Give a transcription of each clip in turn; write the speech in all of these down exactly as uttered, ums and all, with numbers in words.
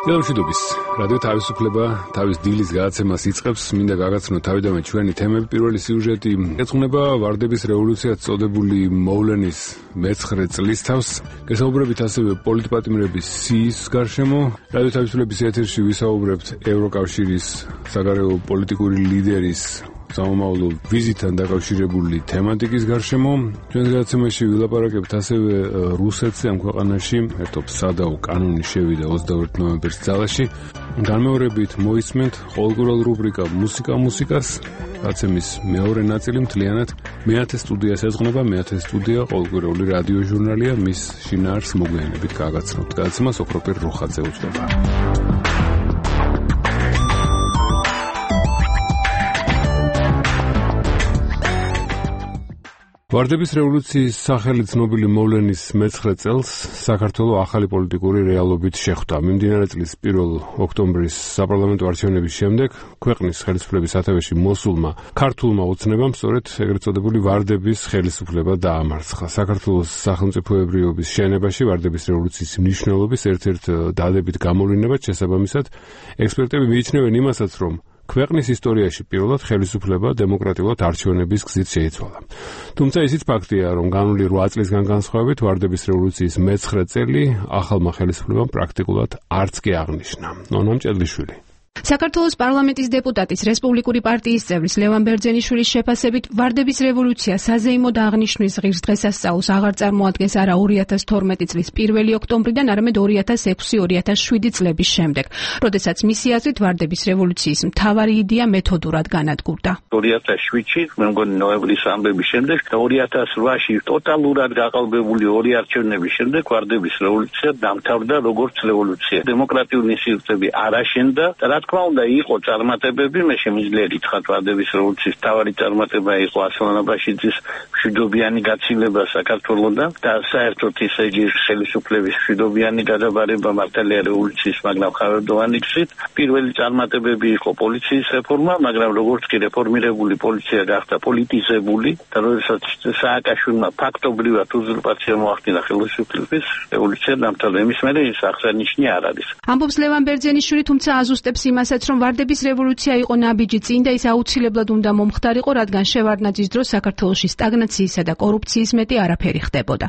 მშვიდობის რადიო თავისუფლება თავის დილის გადაცემას იწყებს. მინდა გაგაცნო თავიდანვე ჩვენი თემები. პირველი სიუჟეტი ეძღვნება ვარდების რევოლუციად წოდებული მოვლენის მეცხრე წლისთავს. გესაუბრებით ასევე პოლიტპატიმრების სიის გარშემო. რადიო თავისუფლების ეთერში ვისაუბრებთ ევროკავშირის საგარეო პოლიტიკური ლიდერის სამომავლო ვიზიტთან დაკავშირებული თემატიკის გარშემო. ჩვენს გადაცემაში ვილაპარაკებთ ასევე რუსეთზე. ამ ქვეყანაში ერთობ სადაო კანონი შევიდა ოცდაერთი ნოემბრის ძალაში. განმეორებით მოისმენთ ყოველკვირველ რუბრიკა მუსიკა მუსიკას. გადაცემის მეორე ნაწილი მთლიანად მეათე სტუდიას ეძღვნება. მეათე სტუდია ყოველკვირეული რადიო ჟურნალია. მის შინაარსს მოგვიანებით გაგაცნობთ. გადაცემას ოქროპირ რუხაძე უძღვება. ვარდების რევოლუციის სახელი ცნობილი მოვლენის მეცხრე წელს საქართველოს ახალი პოლიტიკური რეალობით შეხვდა. მიმდინარე წლის პირველ ოქტომბრის საპარლამენტო არჩევნების შემდეგ ქვეყნის ხელისუფლების სათავეში მოსულმა ქართულმა ოცნებამ სწორედ ეგრეთ წოდებული ვარდების ხელისუფლება დაამარცხა. საქართველოს სახელმწიფოებრიობის შენებაში ვარდების რევოლუციის მნიშვნელობის ერთ-ერთ დადებით გამოვლინებად შესაბამისად ექსპერტები მიიჩნევენ იმასაც, რომ ქვეყნის ისტორიაში პირველად ხელისუფლება დემოკრატიულად არჩევნების გზით შეიცვალა. თუმცა ისიც ფაქტია, რომ განვლილი რვა წლისგან განსხვავებით ვარდების რევოლუციის მეცხრე წელი ახალმა ხელისუფლებამ პრაქტიკულად არც კი აღნიშნა. ნონა მჭედლიშვილი. საქართველოს პარლამენტის დეპუტატის რესპუბლიკური პარტიის წევრის ლევან ბერძენიშვილის შეფასებით ვარდების რევოლუცია საზეიმოდ აღნიშვნის ღირს დღესასწაულს აღარ წარმოადგენს არა ორი ათას თორმეტი წლის პირველი ოქტომბრიდან, არამედ ორი ათას ექვსი ორი ათას შვიდი წლების შემდეგ, როდესაც მისი აზრით ვარდების რევოლუციის მთავარი იდეა მეთოდურად განადგურდა. ორი ათას შვიდში, მე მგონი ნოემბრის ამბების შემდეგ და ორი ათას რვაში ტოტალურად გაყალბებული ორი არჩევნების შემდეგ ვარდების რევოლუცია დამთავრდა როგორც რევოლუცია. დემოკრატიული სისტემები არ აშენდა და რა თქმა უნდა იყო წარმატებები. მე შემიძლია გითხრათ ვარდების რევოლუციის მთავარი წარმატება იყო ასლან აბაშიძის მშვიდობიანი გაცილება საქართველოსთან და საერთოდ ისე ხელისუფლების მშვიდობიანი გადაბარება მართალია რევოლუციის მაგრამ ხარდოვანი გზით. პირველი წარმატებები იყო პოლიციის რეფორმა, მაგრამ როგორც კი რეფორმირებული პოლიცია გახდა პოლიტიზებული და როდესაც სააკაშვილმა ფაქტობრივად უზურპაცია მოახდინა ხელისუფლების, რევოლუცია დამთავრდა. იმის მერე ის აღსანიშნავი არ არის. ამბობს ლევან ბერძენიშვილი, თუმცა აზუსტებს იმასაც, რომ ვარდების რევოლუცია იყო ნაბიჯი წინ და ის აუცილებლად უნდა მომხდარიყო, რადგან შევარდნაძის დროს საქართველოში სტაგნაციისა და კორუფციის მეტი არაფერი ხდებოდა.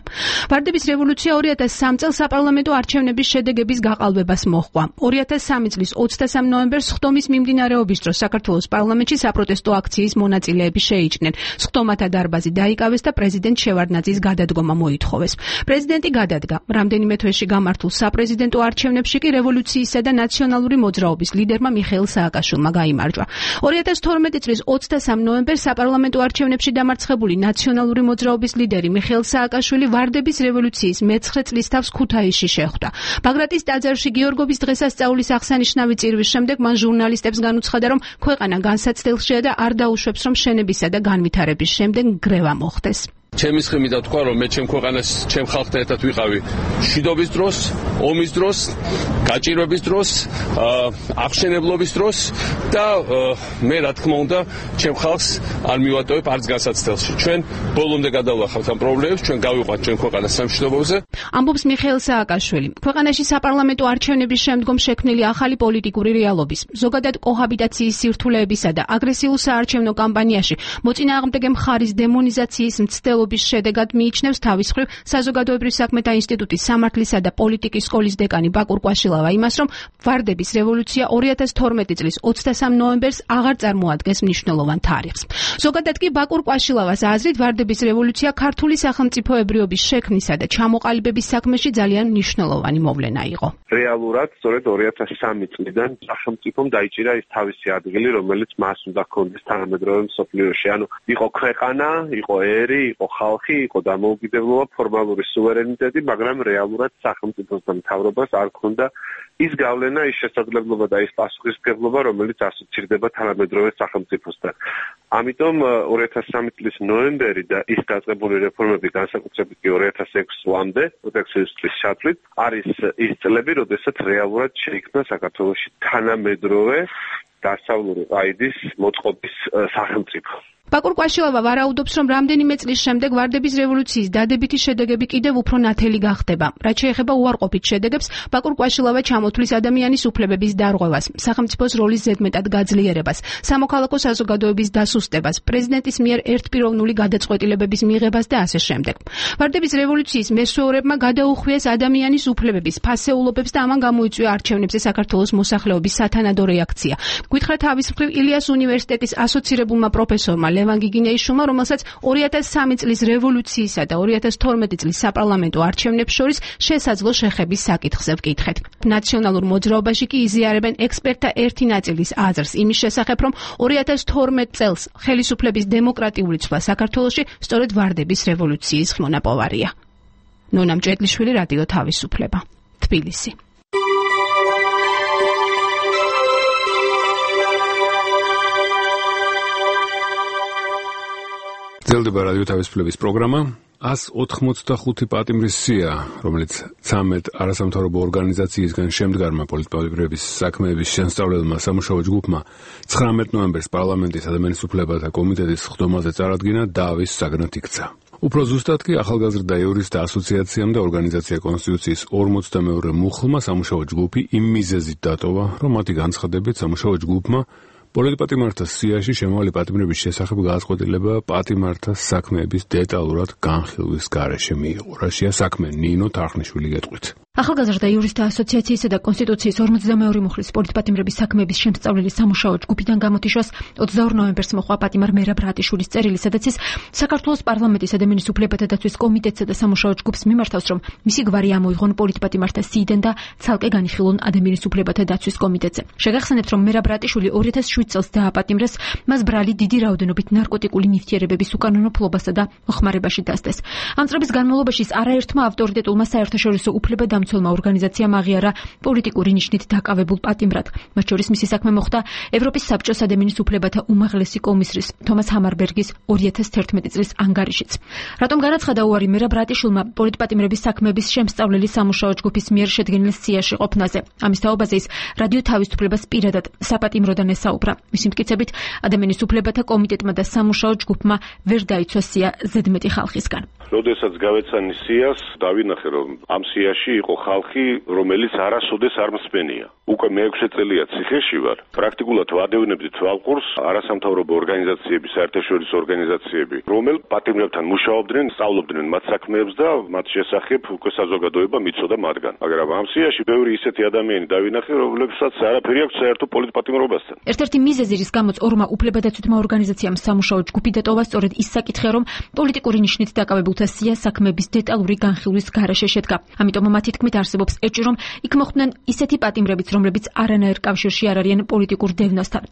ვარდების რევოლუცია ორი ათას სამი წელს საპარლამენტო არჩევნების შედეგების გაყალბებას მოჰყვა. ორი ათას სამი წლის ოცდასამი ნოემბერს სხდომის მიმდინარეობის დროს საქართველოს პარლამენტში საპროტესტო აქციის მონაწილეები შეიჭრნენ. სხდომათა დარბაზი დაიკავეს და პრეზიდენტ შევარდნაძის გადადგომა მოითხოვეს. პრეზიდენტი გადადგა. რამდენიმე თვეში გამართულ საპრეზიდენტო არჩევნებში კი რევოლუციისა და ნაციონალური მოძრაობის ლიდერმა მიხეილ სააკაშვილმა გაიმარჯვა. ორი ათას თორმეტი წლის ოცდასამი ნოემბერს საპარლამენტო არჩევნებში დამარცხებული ნაციონალური მოძრაობის ლიდერი მიხეილ სააკაშვილი ვარდების რევოლუციის მეცხრე წლისთავს ქუთაისში შეხვდა. ბაგრატის ტაძარში გიორგობის დღესასწაულის აღსანიშნავი წირვის შემდეგ მან ჟურნალისტებს განუცხადა, რომ ქვეყანა განსაცდელშია და არ დაუშვებს, რომ შენებისა და განვითარების შემდეგ გრევა მოხდეს. ჩემი სხმით თქვა, რომ მე ჩემ ქვეყანას, ჩემ ხალხთან ერთად ვიყავი მშვიდობის დროს, ომის დროს, გაჭირვების დროს, აღშენებლობის დროს და მე რა თქმა უნდა, ჩემ ხალხს არ მივატოვებ არც განსაცდელში. ჩვენ ბოლომდე გადავლახავთ ამ პრობლემებს, ჩვენ გავიყვანთ ჩვენ ქვეყანას სამშვიდობოზე. ამბობს მიხეილ სააკაშვილი. ქვეყანაში საპარლამენტო არჩევნების შემდგომ შექმნილი ახალი პოლიტიკური რეალობის, ზოგადად კოჰაბიტაციის სირთულეებისა და აგრესიულ საარჩევნო კამპანიაში მოწინააღმდეგე მხარის დემონიზაციის მცდელობის შედეგად მიიჩნევს თავის მხრივ საზოგადოებრივ საქმეთა ინსტიტუტის სამართლისა და პოლიტიკის სკოლის დეკანი ბაკურ კვაშილავა იმას, რომ ვარდების რევოლუცია ორი ათას თორმეტი წლის ოცდასამი ნოემბერს აღარ წარმოადგენს მნიშვნელოვან თარიღს. ზოგადად კი ბაკურ კვაშილავას აზრით ვარდების რევოლუცია ქართული სახელმწიფოებრიობის შექმნისა და ჩამოყალიბების საქმეში ძალიან მნიშვნელოვანი მოვლენა იყო. რეალურად სწორედ ორი ათას სამი წლიდან სახელმწიფომ დაიჭირა ის თავისი ადგილი, რომელიც მას უნდა ჰქონდეს თანამედროვე მსოფლიოში. ანუ იყო ქვეყანა, იყო ერი, იყო ხალხი, იყო დამოუკიდებლობა, ფორმალური სუვერენიტეტი, მაგრამ რეალურად სახელმწიფოს და მთავრობას არ ჰქონდა ის გავლენა, ის შესაძლებლობა და ის პასუხისმგებლობა, რომელიც ასოცირდება თანამედროვე სახელმწიფოსთან. ამიტომ ორი ათას სამი წლის ნოემბერი და ის დაწყებული რეფორმები, განსაკუთრებით კი ორი ათას ექვსი წლამდე, პროტექციის წლის ჩათვლით, არის ის წლები, როდესაც რეალურად შეიქმნა საქართველოში თანამედროვე დასავლური ყაიდის მოწყობის სახელმწიფო. ბაკურ კვაშილავა ვარაუდობს, რომ რამდენიმე წლის შემდეგ ვარდების რევოლუციის დადებითი შედეგები კიდევ უფრო ნათელი გახდება. რაც შეეხება უარყოფით შედეგებს, ბაკურ კვაშილავა ჩამოთვლის ადამიანის უფლებების დარღვევას, სახელმწიფოს როლის ზედმეტად გაძლიერებას, სამოქალაქო საზოგადოების დასუსტებას, პრეზიდენტის მიერ ერთპიროვნული გადაწყვეტილებების მიღებას და ასე შემდეგ. ვარდების რევოლუციის მესვეურებმა გადაუხვიეს ადამიანის უფლებების ფასეულობებს და ამან გამოიწვია არჩევნებზე საქართველოს მოსახლეობის სათანადო რეაქცია. გითხრა თავის მხრივ ილიას უნივერსიტეტის ასოცირებულმა პროფესორმა ლევან გიგინეიშვილმა, რომელსაც ორი ათას სამი წლის რევოლუციისა და ორი ათას თორმეტი წლის საპარლამენტო არჩევნებს შორის შესაძლო შეხების საკითხზე ვკითხეთ. ნაციონალურ მოძრაობაში კი იზიარებენ ექსპერტთა ერთი ნაწილის აზრს იმის შესახებ, რომ ორი ათას თორმეტ წელს ხელისუფლების დემოკრატიული ცვლა საქართველოში სწორედ ვარდების რევოლუციის მონაპოვარია. ნონა მჭედლიშვილი, რადიო თავისუფლება, თბილისი. გრძელდება რადიო თავისუფლების პროგრამა. ას ოთხმოცდახუთი პატიმრის სია, რომელიც ცამეტ არასამთავრობო ორგანიზაციისგან შემდგარმა პოლიტპატიმრების საქმეების შემსწავლელმა სამუშაო ჯგუფმა ცხრამეტ ნოემბერს პარლამენტის ადამიანის უფლებათა კომიტეტის ხდომაზე წარადგინა დავის საგნად იქცა. უფრო ზუსტად კი ახალგაზრდა იურისტთა ასოციაციამ და ორგანიზაცია კონსტიტუციის ორმოცდამეორე მუხლმა სამუშაო ჯგუფი იმ მიზეზით დატოვა, რომ მათი განცხადებით სამუშაო ჯგუფმა პოლიტპატიმართა სიაში შემავალი პატიმრების შესახებ გადაწყვეტილება პატიმართა საქმეების დეტალურად განხილვის გარეშე მიიღო. რაშია საქმე, ნინო თარხნიშვილი გეტყვით. ახალგაზრდა იურისტთა ასოციაციისა და კონსტიტუციის ორმოცდამეორე მუხლის პოლიტპატიმრების საქმეების შემსწავლელი სამუშაო ჯგუფიდან გამოთიშოს ოცდაორ ნოემბერს მოხდა პატიმარ მერაბ რატიშვილის წერილი, სადაც ის საქართველოს პარლამენტის ადამიანის უფლებათა დაცვის კომიტეტსა და სამუშაო ჯგუფს მიმართავს, რომ მისი გვარი ამოიღონ პოლიტპატიმართა სიიდან და ცალკე განიხილონ ადამიანის უფლებათა დაცვის კომიტეტზე. შეგახსენებთ, რომ მერაბ რატიშვილი ორი ათას შვიდ წელს დააპატიმრეს, მას ბრალი დიდი რაოდენობით ნარკოტიკული ნივთიერებების უკანონო ფლობასა და მოხმარებაში დასდეს. ამ წლების განმავლობაში არაერთმა ავტორიტეტულმა საერთაშორისო უფლებადამცველმა ორგანიზაციამ აღიარა პოლიტიკური ნიშნით დაკავებულ პატიმრად. მათ შორის მისი საქმე მოხდა ევროპის საბჭოს ადამიანის უფლებათა უმაღლესი კომისრის თომას ჰამარბერგის ორი ათას თერთმეტი წლის ანგარიშიც. რატომ განაცხადა უარი მერაბ რატიშვილმა პოლიტპატიმრების საქმეების შემსწავლელი სამუშაო ჯგუფის მიერ შედგენილ სიაში ყოფნაზე? ამის თაობაზე ის რადიო თავისუფლებას პირადად საპატიმროდან ესაუბრა. მისი მტკიცებით, ადამიანის უფლებათა კომიტეტმა და სამუშაო ჯგუფმა ვერ დაიცვა სია ზედმეტი ხალხისგან. როდესაც გავეცანი სიას, დავინახე, რომ ამ სიაში იყო ხალხი, რომელიც არასოდეს არ მსმენია. უკვე მეექვსე წელია ციხეში ვარ. პრაქტიკულად ვადევნებდი თვალყურს არასამთავრობო ორგანიზაციები, საერთაშორისო ორგანიზაციები, რომელ პატიმრებთან მუშაობდნენ, სწავლობდნენ მათ საქმეებს და მათ შესახებ უკვე საზოგადოება მიცოდა მათგან. მაგრამ ამ სიაში ბევრი ისეთი ადამიანი დავინახე, რომლებსაც არაფერი აქვს საერთო პოლიტპატიმრობასთან. ერთ-ერთი მიზეზი, რის გამოც ორმა უფლებადაცვითმა ორგანიზაციამ სამუშაო ჯგუფი დატოვა, სწორედ ის საკითხია, რომ პოლიტიკური ნიშნით დაკავებულთა სია საქმეების დეტალური განხილვის გარეშე შედგა. ამიტომ მათი თქმით არსებობს ეჭვი, რომ იქ მოხვდნენ ისეთი პატიმრებიც, რომლებიც არანაირ კავშირში არ არიან პოლიტიკურ დევნასთან.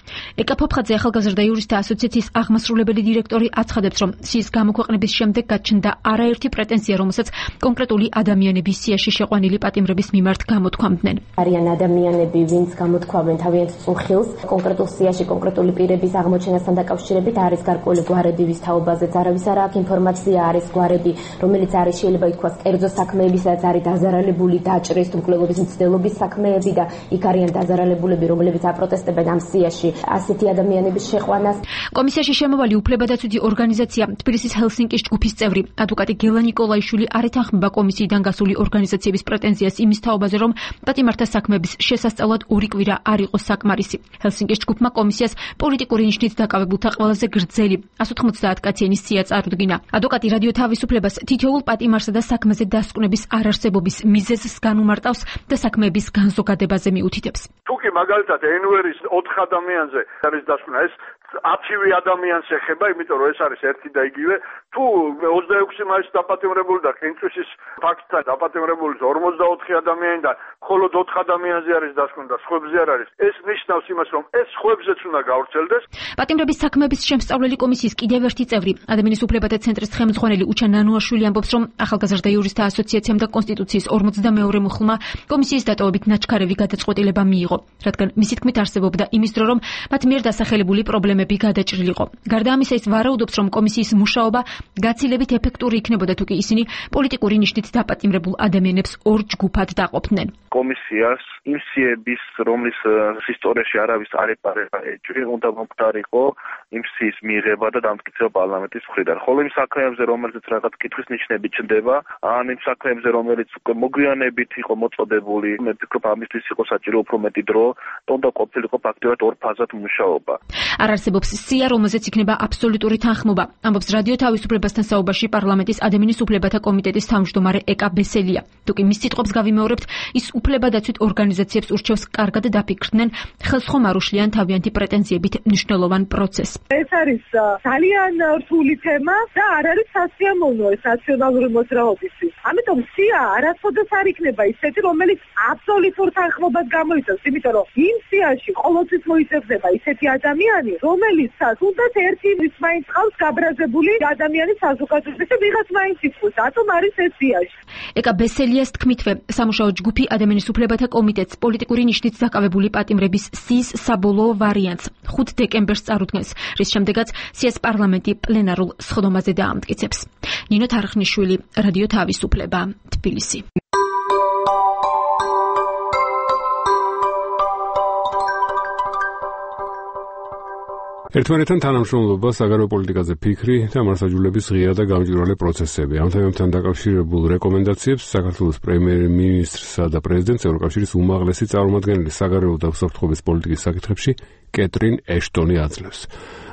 ეკა ფოფხაძე, ახალგაზრდა იურისტთა ასოციაციის აღმასრულებელი დირექტორი, აცხადებს, რომ სიის გამოქვეყნების შემდეგ გაჩნდა არაერთი პრეტენზია, რომელსაც კონკრეტული ადამიანები სიაში შეყვანილი პატიმრების მიმართ გამოთქვამდნენ. არიან ადამიანები, ვინც გამოთქვამენ თავიანთ წუხილს კონკრეტულ სიაში კონკრეტული პირების აღმოჩენასთან დაკავშირებით, არის გარკვეული გვარები, ვის თაობაზეც არავის არ აქვს ინფორმაცია, არის გვარები, რომელიც არის შეიძლება ითქვას კერძო საქმეებისაც, არის დაზარალებული დაჭრის თუ მკვლელობის მცდელობის საქმეები და იქ არიან დაზარალებულები, რომლებიც აპროტესტებენ ამ სიაში ასეთი ადამიანების შეყვანას. კომისიაში შემოვალი უფლებადაცვითი ორგანიზაცია თბილისის ჰელსინკის ჯგუფის წევრი ადვოკატი გელა ნიკოლაიშვილი არ ეთანხმება კომისიიდან გასული ორგანიზაციების პრეტენზიას იმის თაობაზე, რომ პატიმართა საქმეების შესასწავლად ორი კვირა არ იყო საკმარისი. ჰელსინკის ჯგუფმა კომისიას პოლიტიკური ნიშნით დაკავებულთა ყველაზე გრძელი ას ოთხმოცდაათ კაციანი სია წარუდგინა. ადვოკატი რადიო თავისუფლებას თითოეულ პატიმარსა და საქმეზე დასკვნების არარსებობის მიზეზს განუმარტავს და საქმეების განზოგადებაზე მიუთითებს. თუ კი მაგალითად ენვერის ოთხ ადამიანზე არის დასკვნა, ეს ათივე ადამიანს ეხება, იმიტომ რომ ეს არის ერთი და იგივე. თუ ოცდაექვსი მაისს დაპატიმრებული და ყინწვისის ფაქტთან დაპატიმრებული ორმოცდაოთხი ადამიანი და მხოლოდ ოთხ ადამიანზე არის დასკვნა და სხვებზე არ არის. ეს ნიშნავს იმას, რომ ეს სხვებზეც უნდა გავრცელდეს. პატიმრების საქმეების შემსწავლელი კომისიის კიდევ ერთი წევრი, ადამიანის უფლებათა ცენტრის ხელმძღვანელი უჩა ნანუაშვილი ამბობს, რომ ახალგაზრდა იურისტთა ასოციაციამ და კონსტიტუციის ორმოცდამეორე მუხლმა კომისიის დატოვებით ნაჩქარევი გადაწყვეტილება მიიღო, რადგან მისი თქმით არსებობდა იმის დრო, რომ მათ მიერ დასახელებული პრობლემები გადაჭრილიყო. გარდა ამისა, ის ვარაუდობს, რომ კომისიის მუშაობა გაცილებით ეფექტური იქნებოდა, თუ კი ისინი პოლიტიკური ნიშნით დაპატიმრებულ ადამიანებს ორ ჯგუფად დაყოფდნენ. კომისიას იმ სიების, რომლის ისტორიაში არავის არ ეპარება ეჭვი, უნდა მომხდარიყო იმ სიის მიღება და დამტკიცება პარლამენტის მხრიდან. ხოლო იმ საქმეებზე, რომელზეც რაღაც კითხვის ნიშნები ჩნდება, ან იმ საქმეებზე, რომელიც უკვე მოგვიანებით იყო მოწოდებული, მე ვფიქრობ, ამისთვის იყო საჭირო უფრო მეტი დრო, და უნდა ყოფილიყო ფაქტობრივად ორ ფაზად მუშაობა. არ არსებობს სია, რომელზეც იქნება აბსოლუტური თანხმობა. ამბობს რადიო თავისუფლებასთან საუბარში პარლამენტის ადამიანის უფლებათა კომიტეტის თავმჯდომარე ეკა ბესელია. თუკი მის სიტყვებს გავიმეორებთ, ის უფლებადაცვით ორგანიზაციებს ურჩევს კარგად დაფიქრდნენ, ხელსხომ არ უშლიან თავიანთი პრეტენზიებით მნიშვნელოვან პროცესს. ეს არის ძალიან რთული თემა და არ არის სასიამოვნო ეს ნაციონალური მოძრაობისთვის. ამიტომ სია არასოდეს არ იქნება ისეთი, რომელიც აბსოლუტურ თანხმობას გამოიწვევს, იმიტომ რომ იმ სიაში ყოველთვის მოიწევდება ისეთი ადამიანი, რომელიცაც თუნდაც ერთი ის მაინც ყავს გაბრაზებული ადამიანის საზოგადოებაში და ვიღაც მაინც იწვევს. რატომ არის ეს სიაში? ეკა ბესელიას თქმითვე, სამუშაო ჯგუფი ადამიანის უფლებათა კომიტეტს პოლიტიკური ნიშნით დაკავებული პატიმრების სიის საბოლოო ვარიანტს ხუთ დეკემბერს წარუდგენს, რის შემდეგაც სიას პარლამენტი პლენარულ სხდომაზე დაამტკიცებს. ნინო თარხნიშვილი, რადიო თავისუფლება, თბილისი. ერთმანეთთან თანამშრომლობა, საგარეო პოლიტიკაზე ფიქრი და მარსაჯულების ღია და გამჭვირვალე პროცესები. ამ თემებთან დაკავშირებულ რეკომენდაციებს საქართველოს პრემიერ-მინისტრსა და პრეზიდენტს ევროკავშირის უმაღლესი წარმომადგენელი საგარეო და უსაფრთხოების პოლიტიკის საკითხებში კეტრინ ეშტონი აძლევს.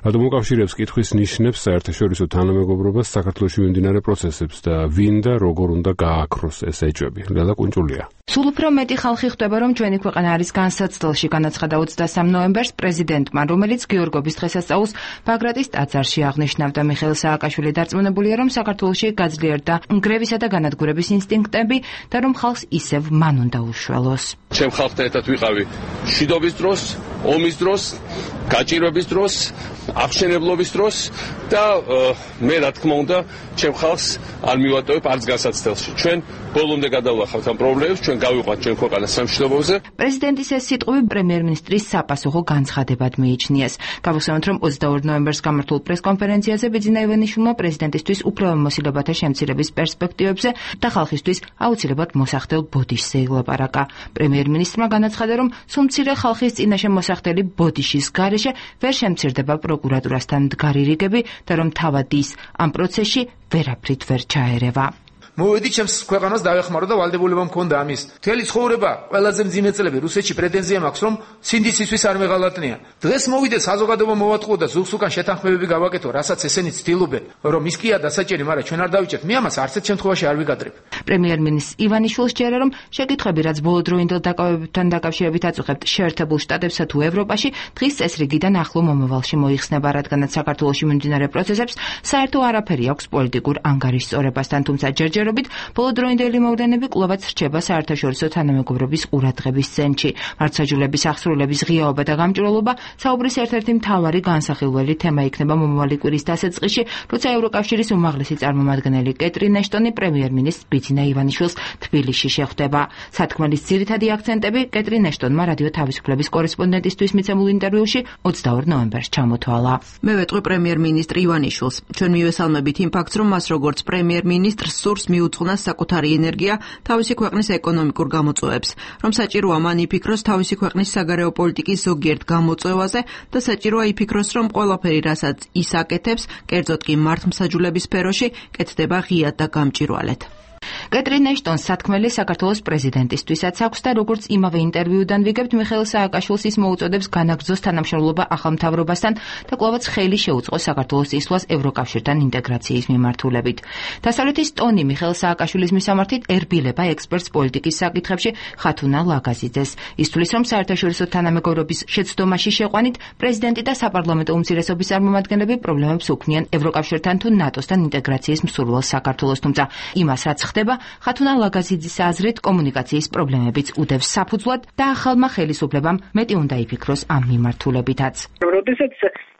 რადგან უკავშირებს კითხვის ნიშნებს საერთაშორისო თანამეგობრობას, საქართველოში მიმდინარე პროცესებს და ვინ და როგორ უნდა გააქროს ეს ეჭვები. ლელა კუნჭულია. სულ უფრო მეტი ხალხი ხვდება, რომ ჩვენი ქვეყანა არის განსაცდელში, განაცხადა ოცდასამ ნოემბერს პრეზიდენტმა, რომელიც გიორგობის დღესასწაულს ბაგრატის ტაძარში აღნიშნავდა. მიხეილ სააკაშვილი დარწმუნებულია, რომ საქართველოში გაძლიერდა ნგრევისა და განადგურების ინსტინქტები და რომ ხალხს ისევ მან უნდა უშველოს. ჩემ ხალხთან ერთად ვიყავი მშვიდობის დროს, ომის დროს, გაჭირვების დროს, აღშენებლობის დროს და მე რა თქმა უნდა, ჩემ ხალხს არ მივატოვებ არც განსაცდელში. ჩვენ ბოლომდე გადავახავთ ამ პრობლემებს, ჩვენ გავიყვანთ ჩვენ ქვეყანას სამშვიდობოზე. პრეზიდენტის ეს სიტყვები პრემიერ-მინისტრის საპასუხო განცხადებად მიიჩნიეს. გავიხსენოთ, რომ ოცდაორ ნოემბერს გამართულ პრესკონფერენციაზე ბიძინა ივანიშვილმა პრეზიდენტისთვის უფლებამოსილებათა შემცირების პერსპექტივებზე და ხალხისთვის აუცილებლად მოსახდელ ბოდიშზე ილაპარაკა. პრემიერ-მინისტრმა განაცხადა, რომ სულ მცირე ხალხის წინაშე მოსახდელი ბოდიშის გარეშე ვერ შემცირდება პროკურატურასთან მდგარი რიგები და რომ თავად ის ამ პროცესში ვერაფრით ვერ ჩაერევა. მოვედი ჩემს ქვეყანას დავეხმარო და ვალდებულება მქონდა ამის. მთელი ცხოვრება ყველაზე მძიმე წლები რუსეთში პრეტენზია მაქვს, რომ სინდისისთვის არ მეღალატნია. დღეს მოვიდე საზოგადოება მოვატყუო და ზუგს უკან შეთანხმებები გავაკეთო, რასაც ესენი ცდილობენ, რომ ის კია დასაჭერი, მაგრამ ჩვენ არ დავიჭერთ. მე ამას არც ერთ შემთხვევაში არ ვიგადრებ. პრემიერ-მინისტრ ივანიშვილს ჯერა, რომ შეკითხვები, რაც ბოლოდროინდელ დაკავებებთან დაკავშირებით აწუხებთ შეერთებულ შტატებსა თუ ევროპაში, დღის წესრიგიდან ახლო მომავალში მოიხსნება, რადგანაც საქართველოში მიმდინარე პროცესებს საერთო არაფერი აქვს პოლიტიკურ ანგარიშწორებასთან, თუმცა ჯერჯერ ბოლოდროინდელი მოვლენები კვლავაც რჩება საერთაშორისო თანამეგობრობის ყურადღების ცენტრში. მარცხაჯულების აღსრულების ღიაობა და გამჭვირვალობა საუბრის ერთ-ერთი მთავარი განსახილველი თემა იქნება მომავალი კვირის დასაწყისში, როცა ევროკავშირის უმაღლესი წარმომადგენელი კეტრინ ეშტონი პრემიერ-მინისტრ ბიძინა ივანიშვილს თბილისში შეხვდება. სათქმელის ძირითადი აქცენტები კეტრინ ეშტონმა რადიო თავისუფლების კორესპონდენტისთვის მიცემულ ინტერვიუში ოცდაორ ნოემბერს ჩამოთვალა. მე ვეტყვი პრემიერ-მინისტრ ივანიშვილს. ჩვენ მივესალმებით იმ ფაქტს, რომ მას როგორც პრემიერ-მინისტრს სურს მიუძღვნას საკუთარი ენერგია თავისი ქვეყნის ეკონომიკურ გამოწვევებს, რომ საჭიროა მან იფიქროს თავისი ქვეყნის საგარეო პოლიტიკის ზოგიერთ გამოწვევაზე და საჭიროა იფიქროს, რომ ყველაფერი, რასაც ის აკეთებს, კერძოდ კი მართლმსაჯულების სფეროში, კეთდება ღიად და გამჭვირვალედ. კეტრინ ეშტონს სათქმელი საქართველოს პრეზიდენტისთვისაც აქვს და როგორც იმავე ინტერვიუდან ვიგებთ, მიხეილ სააკაშვილს ის მოუწოდებს განაგრძოს თანამშრომლობა ახალ მთავრობასთან და კვლავაც ხელი შეუწყოს საქართველოს ისვლას ევროკავშირთან ინტეგრაციის მიმართულებით. დასავლეთის ტონი მიხეილ სააკაშვილის მისამართით ერბილება ექსპერტს პოლიტიკის საკითხებში ხათუნა ლაგაზიძეს. ის თვლის, რომ საერთაშორისო თანამეგობრობის შეცდომაში შეყვანით პრეზიდენტი და საპარლამენტო უმცირესობის წარმომადგენლები პრობლემებს უქმნიან ევროკავშირთან თუ ნატოსთან ინტეგრაციის მსურველ საქართველოს, თუმცა იმას რაც ხდება, ხათუნა ლაგაზიძის აზრით კომუნიკაციის პრობლემებიც უდევს საფუძვლად და ახალმა ხელისუფლებამ მეტი უნდა იფიქროს ამ მიმართულებითაც. როდესაც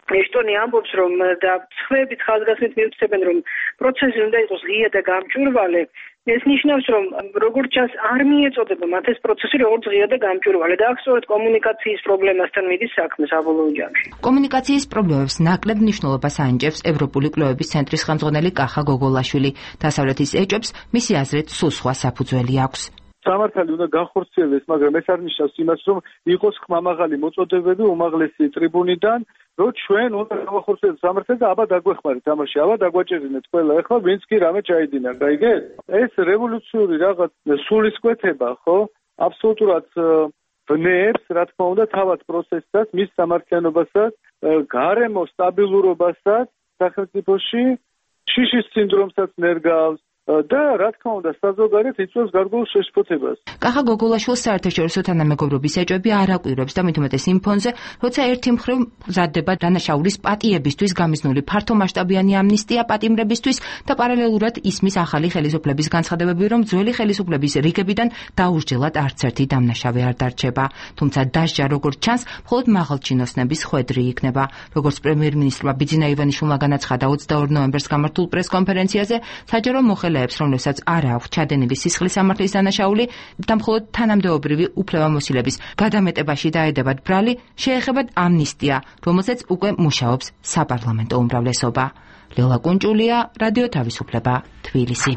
ეშტონი ამბობს, რომ და სხვაებით ხაზგასმით მიუწევენ, რომ პროცესი უნდა იყოს ღია და გამჭვირვალე, ეს ნიშნავს, რომ როგორც ჩანს არ მიეწოდება მათ ეს პროცესი როგორც ღია და გამჭვირვალე და აქ სწორედ კომუნიკაციის პრობლემასთან მიდის საქმე საბოლოო ჯამში. კომუნიკაციის პრობლემებს ნაკლებ მნიშვნელობას ანიჭებს ევროპული კვლევების ცენტრის ხელმძღვანელი კახა გოგოლაშვილი. დასავლეთის ეჭვებს მისი აზრით სულ სხვა საფუძველი აქვს. სამართალი უნდა განხორციელდეს, მაგრამ ეს არ ნიშნავს იმას, რომ იყოს ხმამაღალი მოწოდებები უმაღლესი ტრიბუნიდან, რომ ჩვენ უნდა გავახორციელოთ სამართალს და აბა დაგვეხმარეთ ამაში, აბა დაგვაჭერინეთ ყველა, ახლა ვინც კი რამე ჩაიდინა, გაიგეთ? ეს რევოლუციური რაღაც სულისკვეთება, ხო? აბსოლუტურად ვნებს, რა თქმა უნდა, თავად პროცესსაც, მის სამართლიანობასაც, გარემო სტაბილურობასაც სახელმწიფოში, შიშის სინდრომსაც ნერგავს და რა თქმა უნდა საზოგადოებრივ იწვევს გარკვეულ შეშფოთებას. კახა გოგოლაშვილს საერთაშორისო თანამეგობრობის ეჭვები არ აკვირვებს და მით უმეტეს იმ ფონზე, როცა ერთი მხრივ მზადდება დანაშაულის პატიებისთვის გამიზნული ფართომასშტაბიანი ამნისტია პატიმრებისთვის და პარალელურად ისმის ახალი ხელისუფლების განცხადებები, რომ ძველი ხელისუფლების რიგებიდან დაუსჯელად არც ერთი დამნაშავე არ დარჩება. თუმცა დასჯა როგორც ჩანს, მხოლოდ მაღალჩინოსნების ხვედრი იქნება. როგორც პრემიერ-მინისტრმა ბიძინა ივანიშვილმა განაცხადა ოცდაორ ნოემბერს გამართულ პრეს-კონფერენციაზე, საჯარო მოხელეებს, რომლებსაც არ აქვს ჩადენილი სისხლის სამართლის დანაშაული და მხოლოდ თანამდებობრივი უფლებამოსილების გადამეტებაში დაედებათ ბრალი, შეეხებათ ამნისტია, რომელზეც უკვე მუშაობს საპარლამენტო უმრავლესობა. ლელა კუნჭულია, რადიო თავისუფლება, თბილისი.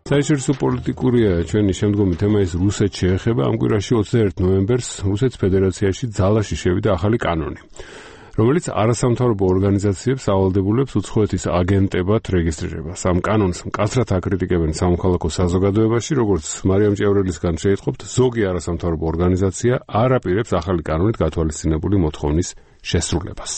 საერთაშორისო პოლიტიკურია ჩვენი შემდგომი თემა ის რუსეთს შეეხება. ამ კვირაში ოცდაერთ ნოემბერს რუსეთის ფედერაციაში ძალაში შევიდა ახალი კანონი, რომელიც არასამთავრობო ორგანიზაციებს ავალდებულებს უცხოეთის აგენტებად რეგისტრირებას. ამ კანონს მკაცრად აკრიტიკებენ სამოქალაქო საზოგადოებაში, როგორც მარიამ ჭიავრელისგან შეიტყობთ, ზოგი არასამთავრობო ორგანიზაცია არ აპირებს ახალი კანონით გათვალისწინებული მოთხოვნის შესრულებას.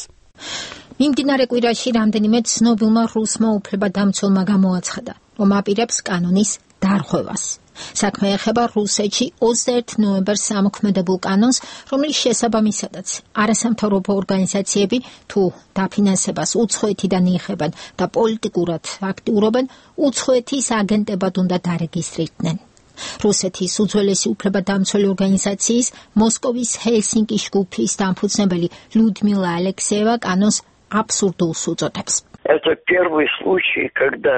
მიმდინარე კვირაში რამდენიმე ცნობილმა რუსმა უფლებადამცველმა გამოაცხადა, რომ აპირებს კანონის დარღვევას. საქმე ეხება რუსეთში ოცდაერთ ნოემბერს ამოქმედებულ კანონს, რომლის შესაბამისადაც არასამთავრობო ორგანიზაციები თუ დაფინანსებას უცხოეთიდან იღებენ და პოლიტიკურად აქტიურობენ, უცხოეთის აგენტებად უნდა დარეგისტრირდნენ. რუსეთის უძველესი უფლებადამცველი ორგანიზაციის მოსკოვის ჰელსინკის ჯგუფის დამფუძნებელი ლუდმილა ალექსეევა კანონს აბსურდულს უწოდებს. Это первый случай, когда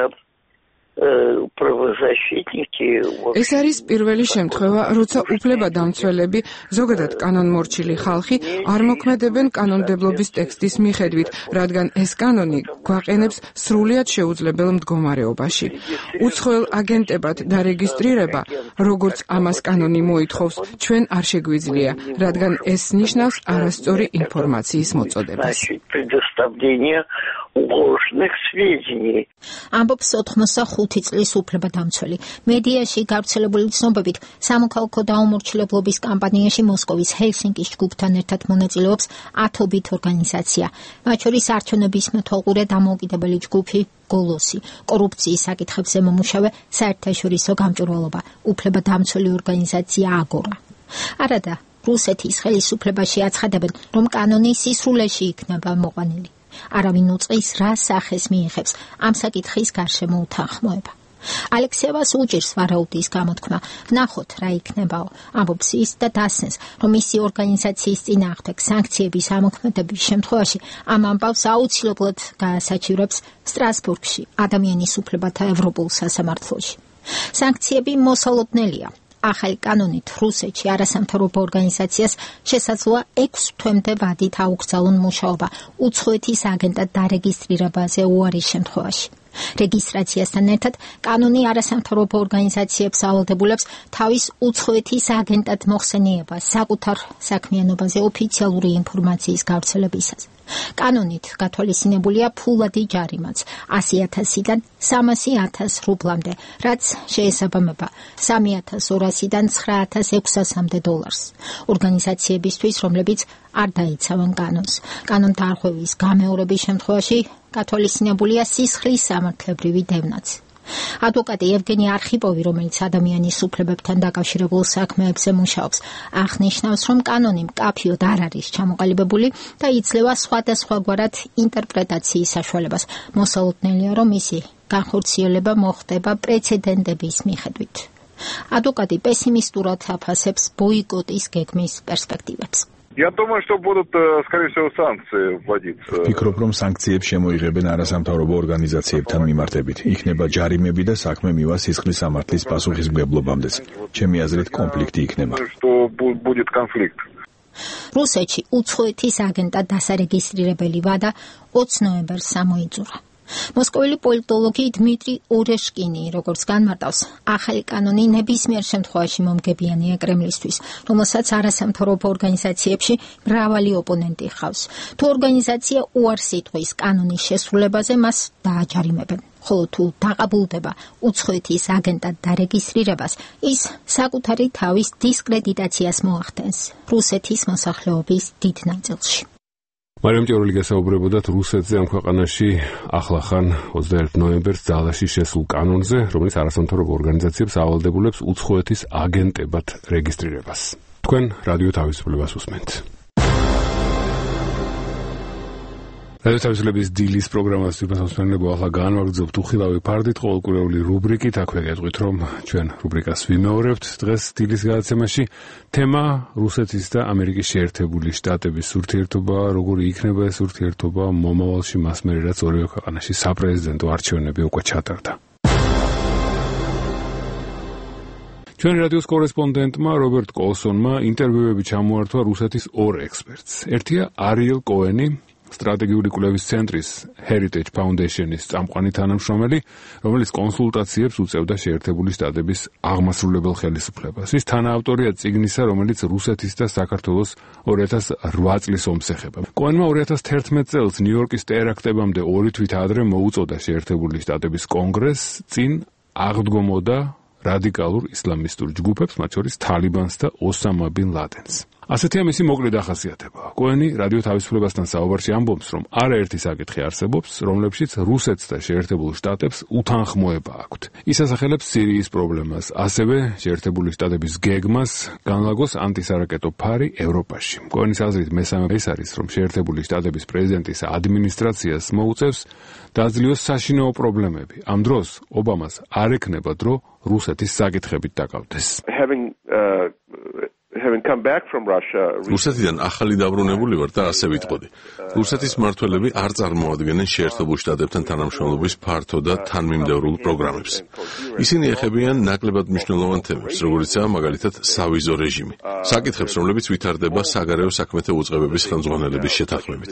ეს არის პირველი შემთხვევა, როცა უფლებადამცველები, ზოგადად კანონმორჩილი ხალხი არ მოქმედებენ კანონმდებლობის ტექსტის მიხედვით, რადგან ეს კანონი გვაყენებს სრულიად შეუძლებელ მდგომარეობაში. უცხოელ აგენტებად დარეგისტრირება, როგორც ამას კანონი მოითხოვს, ჩვენ არ შეგვიძლია, რადგან ეს ნიშნავს არასწორი ინფორმაციის მოწოდებას. ამბობს ოთხმოცდახუთი წლის უფლებადამცველი. მედიაში გავრცელებული ცნობებით სამოქალაქო დაუმორჩილებლობის კამპანიაში მოსკოვის ჰელსინკის ჯგუფთან ერთად მონაწილეობს ათობით ორგანიზაცია. მათ შორის არჩევნების მეთვალყურე დამოუკიდებელი ჯგუფი გოლოსი, კორუფციის საკითხებზე მომუშავე საერთაშორისო გამჭვირვალობა, უფლებადამცველი ორგანიზაცია აგორა. არადა რუსეთის ხელისუფლებაში აცხადებენ, რომ კანონი სისრულეში იქნება მოყვანილი. არავინ უწყის რა სახეს მიიღებს ამ საკითხის გარშემო უთანხმოება. ალექსეევას უჭირს ვარაუდის გამოთქმა, ვნახოთ რა იქნებაო, ამბობს ის და დასცენს, რომ მისი ორგანიზაციის წინააღმდეგ სანქციების ამოქმედების შემთხვევაში ამ ამბავს აუცილებლად გაასაჩივრებს სტრასბურგში, ადამიანის უფლებათა ევროპულ სასამართლოში. სანქციები მოსალოდნელია. ახალი კანონით რუსეთში არასამთავრობო ორგანიზაციას შესაძლოა ექვს თვემდე ვადით აუგზავნონ მუშაობა უცხოეთის აგენტად დარეგისტრირებაზე უარის შემთხვევაში. რეგისტრაციასთან ერთად კანონი არასამთავრობო ორგანიზაციებს ავალდებულებს თავის უცხოეთის აგენტად მოხსენიებას საკუთარ საქმიანობაზე ოფიციალური ინფორმაციის გავრცელებისას. კანონით გათვალისწინებულია ფულადი ჯარიმაც ასი ათასიდან სამასი ათას რუბლამდე, რაც შეესაბამება სამი ათას ორასიდან ცხრა ათას ექვსასამდე დოლარს. ორგანიზაციებისთვის, რომლებიც არ დაიცავენ კანონს. კანონ დარღვევის გამეორების შემთხვევაში გათვალისწინებულია სისხლის სამართლებრივი დევნაც. ადვოკატი ევგენი არხიპოვი, რომელიც ადამიანის უფლებებთან დაკავშირებულ საქმეებზე მუშაობს, აღნიშნავს, რომ კანონი მკაფიოდ არ არის ჩამოყალიბებული და იძლევა სხვადასხვაგვარად ინტერპრეტაციის საშუალებას. მოსალოდნელია, რომ მისი განხორციელება მოხდება პრეცედენტების მიხედვით. ადვოკატი პესიმისტურად აფასებს ბოიკოტის გეგმის პერსპექტივებს. Я думаю, что будут, скорее всего, санкции вводиться. Ფიქრობ, რომ სანქციებს შემოიღებენ არასამთავრობო ორგანიზაციებთან მიმართებით. იქნება ჯარიმები და საქმე მივა სისხლის სამართლის პასუხისმგებლობამდეც. ჩემი აზრით, კონფლიქტი იქნება. Что будет конфликт. რუსეთში უცხოეთის აგენტად დასარეგისტრირებელი ვადა ოცდაერთ ნოემბერს ამოიწურა. მოსკოველი პოლიტოლოგი დმიტრი ორეშკინი როგორც განმარტავს, ახალი კანონი ნებისმიერ შემთხვევაში მომგებიანია კრემლისთვის, რომელსაც არასამთავრობო ორგანიზაციებში მრავალი ოპონენტი ჰყავს. თუ ორგანიზაცია უარს იტყვის კანონის შესრულებაზე, მას დააჯარიმებენ. ხოლო თუ დაყაბულდება უცხოეთის აგენტად დარეგისტრირებას, ის საკუთარი თავის დისკრედიტაციას მოახდენს რუსეთის მოსახლეობის დიდ ნაწილში. მარიამ ჭორელი გასაუბრებოდათ რუსეთზე ამ ქვეყანაში ახლახან ოცდაერთი ნოემბერს ძალაში შესულ კანონზე, რომელიც არასამთავრობო ორგანიზაციებს ავალდებულებს უცხოეთის აგენტებად რეგისტრირებას. თქვენ რადიო თავისუფლებას უსმენთ. რადიო თავისუფლების დილის პროგრამას ვიფასებინებო ახლა განვაგრძობთ უხილავი ფარდით ყოველკვირეული რუბრიკით. აქვე გეტყვით, რომ ჩვენ რუბრიკას ვიმეორებთ. დღეს დილის გადაცემაში თემა რუსეთის და ამერიკის შეერთებული შტატების ურთიერთობა, როგორი იქნება ეს ურთიერთობა მომავალში, მას მერე რაც ორივე ქვეყანაში საპრეზიდენტო არჩევნები უკვე ჩატარდა. ჩვენი რადიოს კორესპონდენტმა რობერტ კოლსონმა ინტერვიუები ჩამოართვა რუსეთის ორ ექსპერტს. ერთია არიელ კოენი, სტრატეგიული კვლევის ცენტრის Heritage Foundation-ის წამყვანი თანამშრომელი, რომელიც კონსულტაციებს უწევდა შეერთებული შტატების აღმასრულებელ ხელისუფლებას. ის თანაავტორია წიგნისა, რომელიც რუსეთის და საქართველოს ორი ათას ოთხ წლის ომს ეხება. კოენმა ორი ათას თერთმეტ წელს ნიუ-იორკის ტერაქტებამდე ორი თვით ადრე მოუწოდა შეერთებული შტატების კონგრესს წინ აღდგომოდა რადიკალურ ისლამისტურ ჯგუფებს, მათ შორის თალიბანს და ოსამა ბინ ლადენს. ასეთია მისი მოკლე დახასიათება. კოენი რადიო თავისუფლებასთან საუბარში ამბობს, რომ არაერთი საკითხი არსებობს, რომლებშიც რუსეთს და შეერთებულ შტატებს უთანხმოება აქვთ. ის ასახელებს სირიის პრობლემას, ასევე შეერთებული შტატების გეგმას განლაგოს ანტისარაკეტო ფარი ევროპაში. კოენის აზრით მესამე ეს არის, რომ შეერთებული შტატების პრეზიდენტის ადმინისტრაციას მოუწევს დაძლიოს საშინაო პრობლემები. ამ დროს ობამას არ ექნება დრო რუსეთის საკითხებით დაკავდეს. Having uh, having come back from Russia, რუსეთიდან ახალი დაბრუნებული ვარ და ასე ვიტყოდი. რუსეთის მმართველები არ წარმოადგენენ შეერთებულ შტატებთან თანამშრომლობის ფართო და თანმიმდევრულ პროგრამებს. ისინი ეხებიან ნაკლებად მნიშვნელოვან თემებს, როგორიცაა მაგალითად სავიზო რეჟიმი. საკითხებს, რომლებიც ვითარდება საგარეო საქმეთა უწყებების ხელმძღვანელების შეთანხმებით.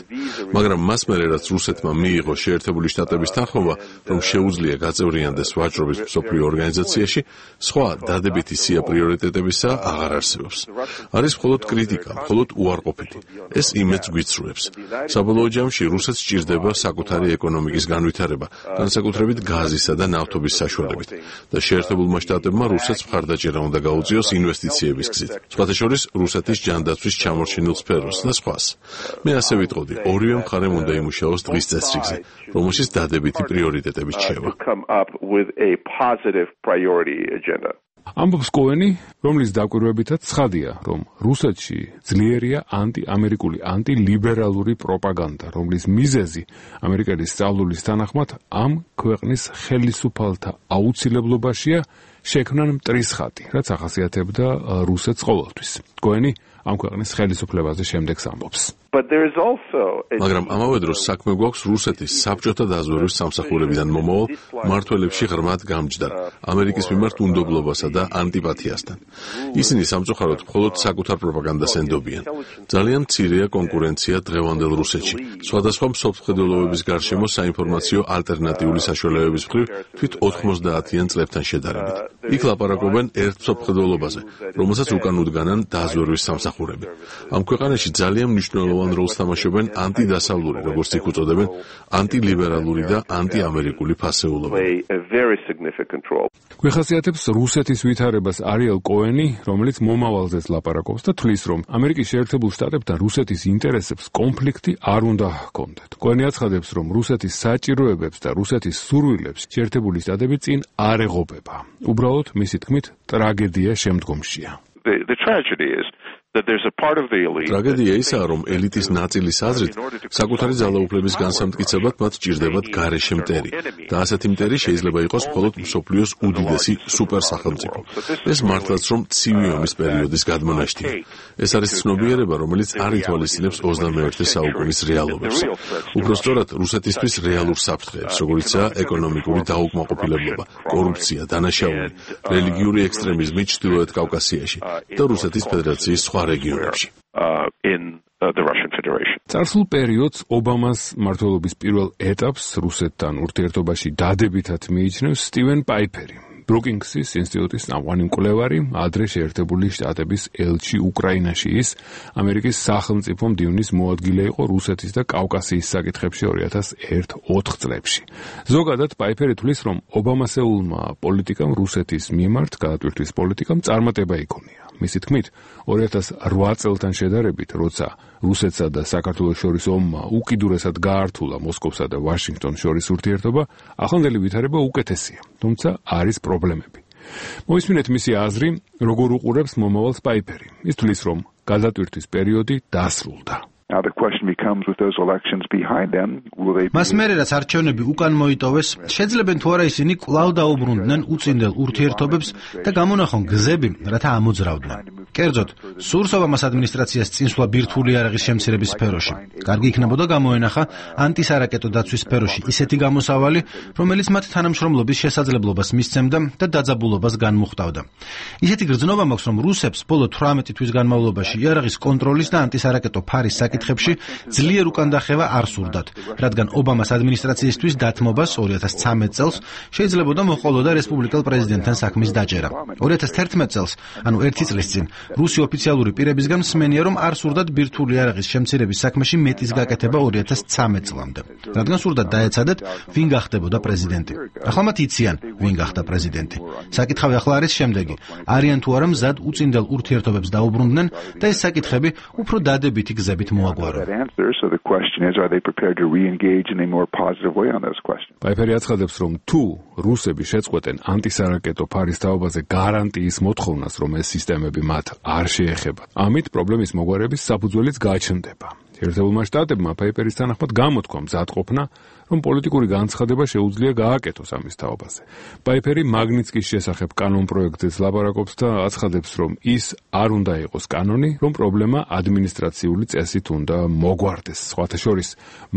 მაგრამ მას მერე რაც რუსეთმა მიიღო შეერთებული შტატების თანხმობა, რომ შეუძლია გაწევრიანდეს ვაჭრობის მსოფლიო ორგანიზაციაში, სხვა დადებითი სია პრიორიტეტებისა აღარ არსებობს. არის მხოლოდ კრიტიკა, მხოლოდ უარყოფითი. ეს იმედს გვიცრუებს. საბოლოო ჯამში რუსეთს სჭირდება საკუთარი ეკონომიკის განვითარება, განსაკუთრებით გაზისა და ნავთობის საშუალებით და შეერთებულმა შტატებმა რუსეთს მხარდაჭერა უნდა გაუწიოს ინვესტიციების გზით. სხვათა შორის რუსეთის ჯანდაცვის ჩამორჩენილ სფეროს და სხვას. მე ასე ვიტყოდი, ორივე მხარემ უნდა იმუშაოს დღის წესრიგზე, რომელშიც დადებითი პრიორიტეტები რჩება. ამბობს კოენი, რომლის დაკვირვებითაც ცხადია, რომ რუსეთში ძლიერია ანტიამერიკული, ანტილიბერალური პროპაგანდა, რომლის მიზეზი ამერიკელის სწავლულის თანახმად ამ ქვეყნის ხელისუფალთა აუცილებლობაშია შექმნან მტრისხატი, რაც ახასიათებდა რუსეთს ყოველთვის. კოენი ამ ქვეყნის ხელისუფლებაზე შემდეგს ამბობს. მაგრამ ამავე დროს საქმე გვაქვს რუსეთის საბჭოთა დაზვერვის სამსახურებიდან მომავალ მმართველებში ღრმად გამჯდარ ამერიკის მიმართ უნდობლობასა და ანტიპათიასთან. ისინი სამწუხაროდ მხოლოდ საკუთარ პროპაგანდას ენდობიან. ძალიან მცირეა კონკურენცია დღევანდელ რუსეთში. სხვადასხვა მსოფლმხედველობების გარშემო საინფორმაციო ალტერნატიული საშუალებების მხრივ თვით ოთხმოცდაათიან წლებთან შედარებით. იქ ლაპარაკობენ ერთ მსოფლმხედველობაზე, რომელსაც უკან უდგანან დაზვერვის სამსახურები. ამ ქვეყანაში ძალიან მნიშვნელოვანი როლს თამაშობენ ანტიდასავლური, როგორც იქ უწოდებენ, ანტილიბერალური და ანტიამერიკული ფასეულობა. გვეხასიათებს რუსეთის ვითარებას არიელ კოენი, რომელიც მომავალზეც ლაპარაკობს და თვლის, რომ ამერიკის შეერთებულ შტატებთან რუსეთის ინტერესებს კონფლიქტი არ უნდა ჰქონდეთ. კოენი აცხადებს, რომ რუსეთის საჭიროებებს და რუსეთის სურვილებს შეერთებული შტატები წინ არ ეღობება. უბრალოდ, მისი თქმით, ტრაგედია შემდგომშია. The, the tragedy is that there's a part of the elite. ტრაგედია ისაა, რომ ელიტის ნაწილის აზრით, საკუთარი ძალაუფლების განსამტკიცებლად მათ სჭირდებათ გარეშე მტერი და ასეთი მტერი შეიძლება იყოს მხოლოდ მსოფლიოს უდიდესი სუპერსახელმწიფო. ეს მართლაც რომ ცივი ომის პერიოდის გადმონაშთია. ეს არის ცნობიერება, რომელიც არ ითვალისწინებს ოცდამეერთე საუკუნის რეალობებს. უпростоრად რუსეთისთვის რეალურ საფრთხეებს, როგორიცაა ეკონომიკური დაუკმაყოფილებლობა, კორუფცია, დანაშაული, რელიგიური ექსტრემიზმი ჩრდილოეთ კავკასიაში და რუსეთის ფედერაციის სხვა რეგიონებში. uh, in uh, the Russian Federation. წარსულ პერიოდს ობამას მმართველობის პირველ ეტაპს რუსეთთან ურთიერთობაში დადებითად მიიჩნევს სტივენ პაიფერი, ბრუკინგსის ინსტიტუტის წამყვანი მკვლევარი, ადრე შეერთებული შტატების ელჩი უკრაინაში. ის ამერიკის სახელმწიფო მდივნის მოადგილე იყო რუსეთის და კავკასიის საკითხებში ორი ათას ოთხ წლებში. ზოგადად პაიფერი თვლის, რომ ობამასეულმა პოლიტიკამ რუსეთის მიმართ გადატვირთვის პოლიტიკამ წარმატება იქონია. მისი თქმით, ორი ათას რვა წელთან შედარებით, როცა რუსეთსა და საქართველოს შორის ომმა უკიდურესად გაართულა მოსკოვსა და ვაშინგტონს შორის ურთიერთობა, ახლანდელი ვითარება უკეთესია, თუმცა არის პრობლემები. მოისმინეთ მისი აზრი, როგორ უყურებს მომავალს პაიფერი. ის თვლის, რომ გადატვირთვის პერიოდი დასრულდა. Now the question becomes with those elections behind them, will they მას მერე რაც არჩევნები უკან მოიტოვეს, შეძლებენ თუ არა ისინი კვლავ დაუბრუნდნენ უწინდელ ურთიერთობებს და გამონახონ გზები, რათა ამოძრავდნენ. კერძოდ, სურს ობამას ადმინისტრაციას წინსვლა ბირთვული იარაღის შემცირების სფეროში. კარგი იქნებოდა გამოენახა ანტისარაკეტო დაცვის სფეროში ისეთი გამოსავალი, რომელიც მათ თანამშრომლობის შესაძლებლობას მისცემდა და დაძაბულობას განმუხტავდა. ისეთი გრძნობა მაქვს, რომ რუსებს ბოლო თვრამეტი თვის განმავლობაში იარაღის კონტროლის და ანტისარაკეტო ფარის საკითხებში ძლიერ უკანდახევა არ სურდათ, რადგან ობამას ადმინისტრაციისთვის დათმობას ორი ათას ცხრამეტ წელს შეიძლებოდა მოჰყოლოდა რესპუბლიკელ პრეზიდენტთან საქმის დაჭერა. ორი ათას თერთმეტ წელს, ანუ ერთი წლის წინ, რუსი ოფიციალური პირებისგან მსმენია, რომ არ სურდათ ბირთვული იარაღის შემცირების საქმეში მეტის გაკეთება ორი ათას ცხრამეტ წლამდე, რადგან სურდათ დაეცადეთ, ვინ გახდებოდა პრეზიდენტი. ახლა მათ იციან, ვინ გახდა პრეზიდენტი. საკითხავი ახლა არის შემდეგი: არიან თუ არა მზად უწინდელ ურთიერთობებს დაუბრუნდნენ და ეს საკითხები უფრო დადებითი გზებით მოაგვარონ. პაიფერი აცხადებს, რომ თუ რუსები შეწყვეტენ ანტისარაკეტო ფარის თაობაზე გარანტიის მოთხოვნას, რომ ეს სისტემები მათ არ შეეხება, ამით პრობლემის მოგვარების საფუძველიც გაჩნდება. ერთებულმა შტატებმა პაიფერის თანახმად გამოთქვა მზადყოფნა, რომ პოლიტიკური განცხადება შეუძლია გააკეთოს ამის თაობაზე. პაიფერი მაგნიცკის შესახებ კანონ პროექტზეც ლაპარაკობს და აცხადებს, რომ ის არ უნდა იყოს კანონი, რომ პრობლემა ადმინისტრაციული წესით უნდა მოგვარდეს. სხვათა შორის,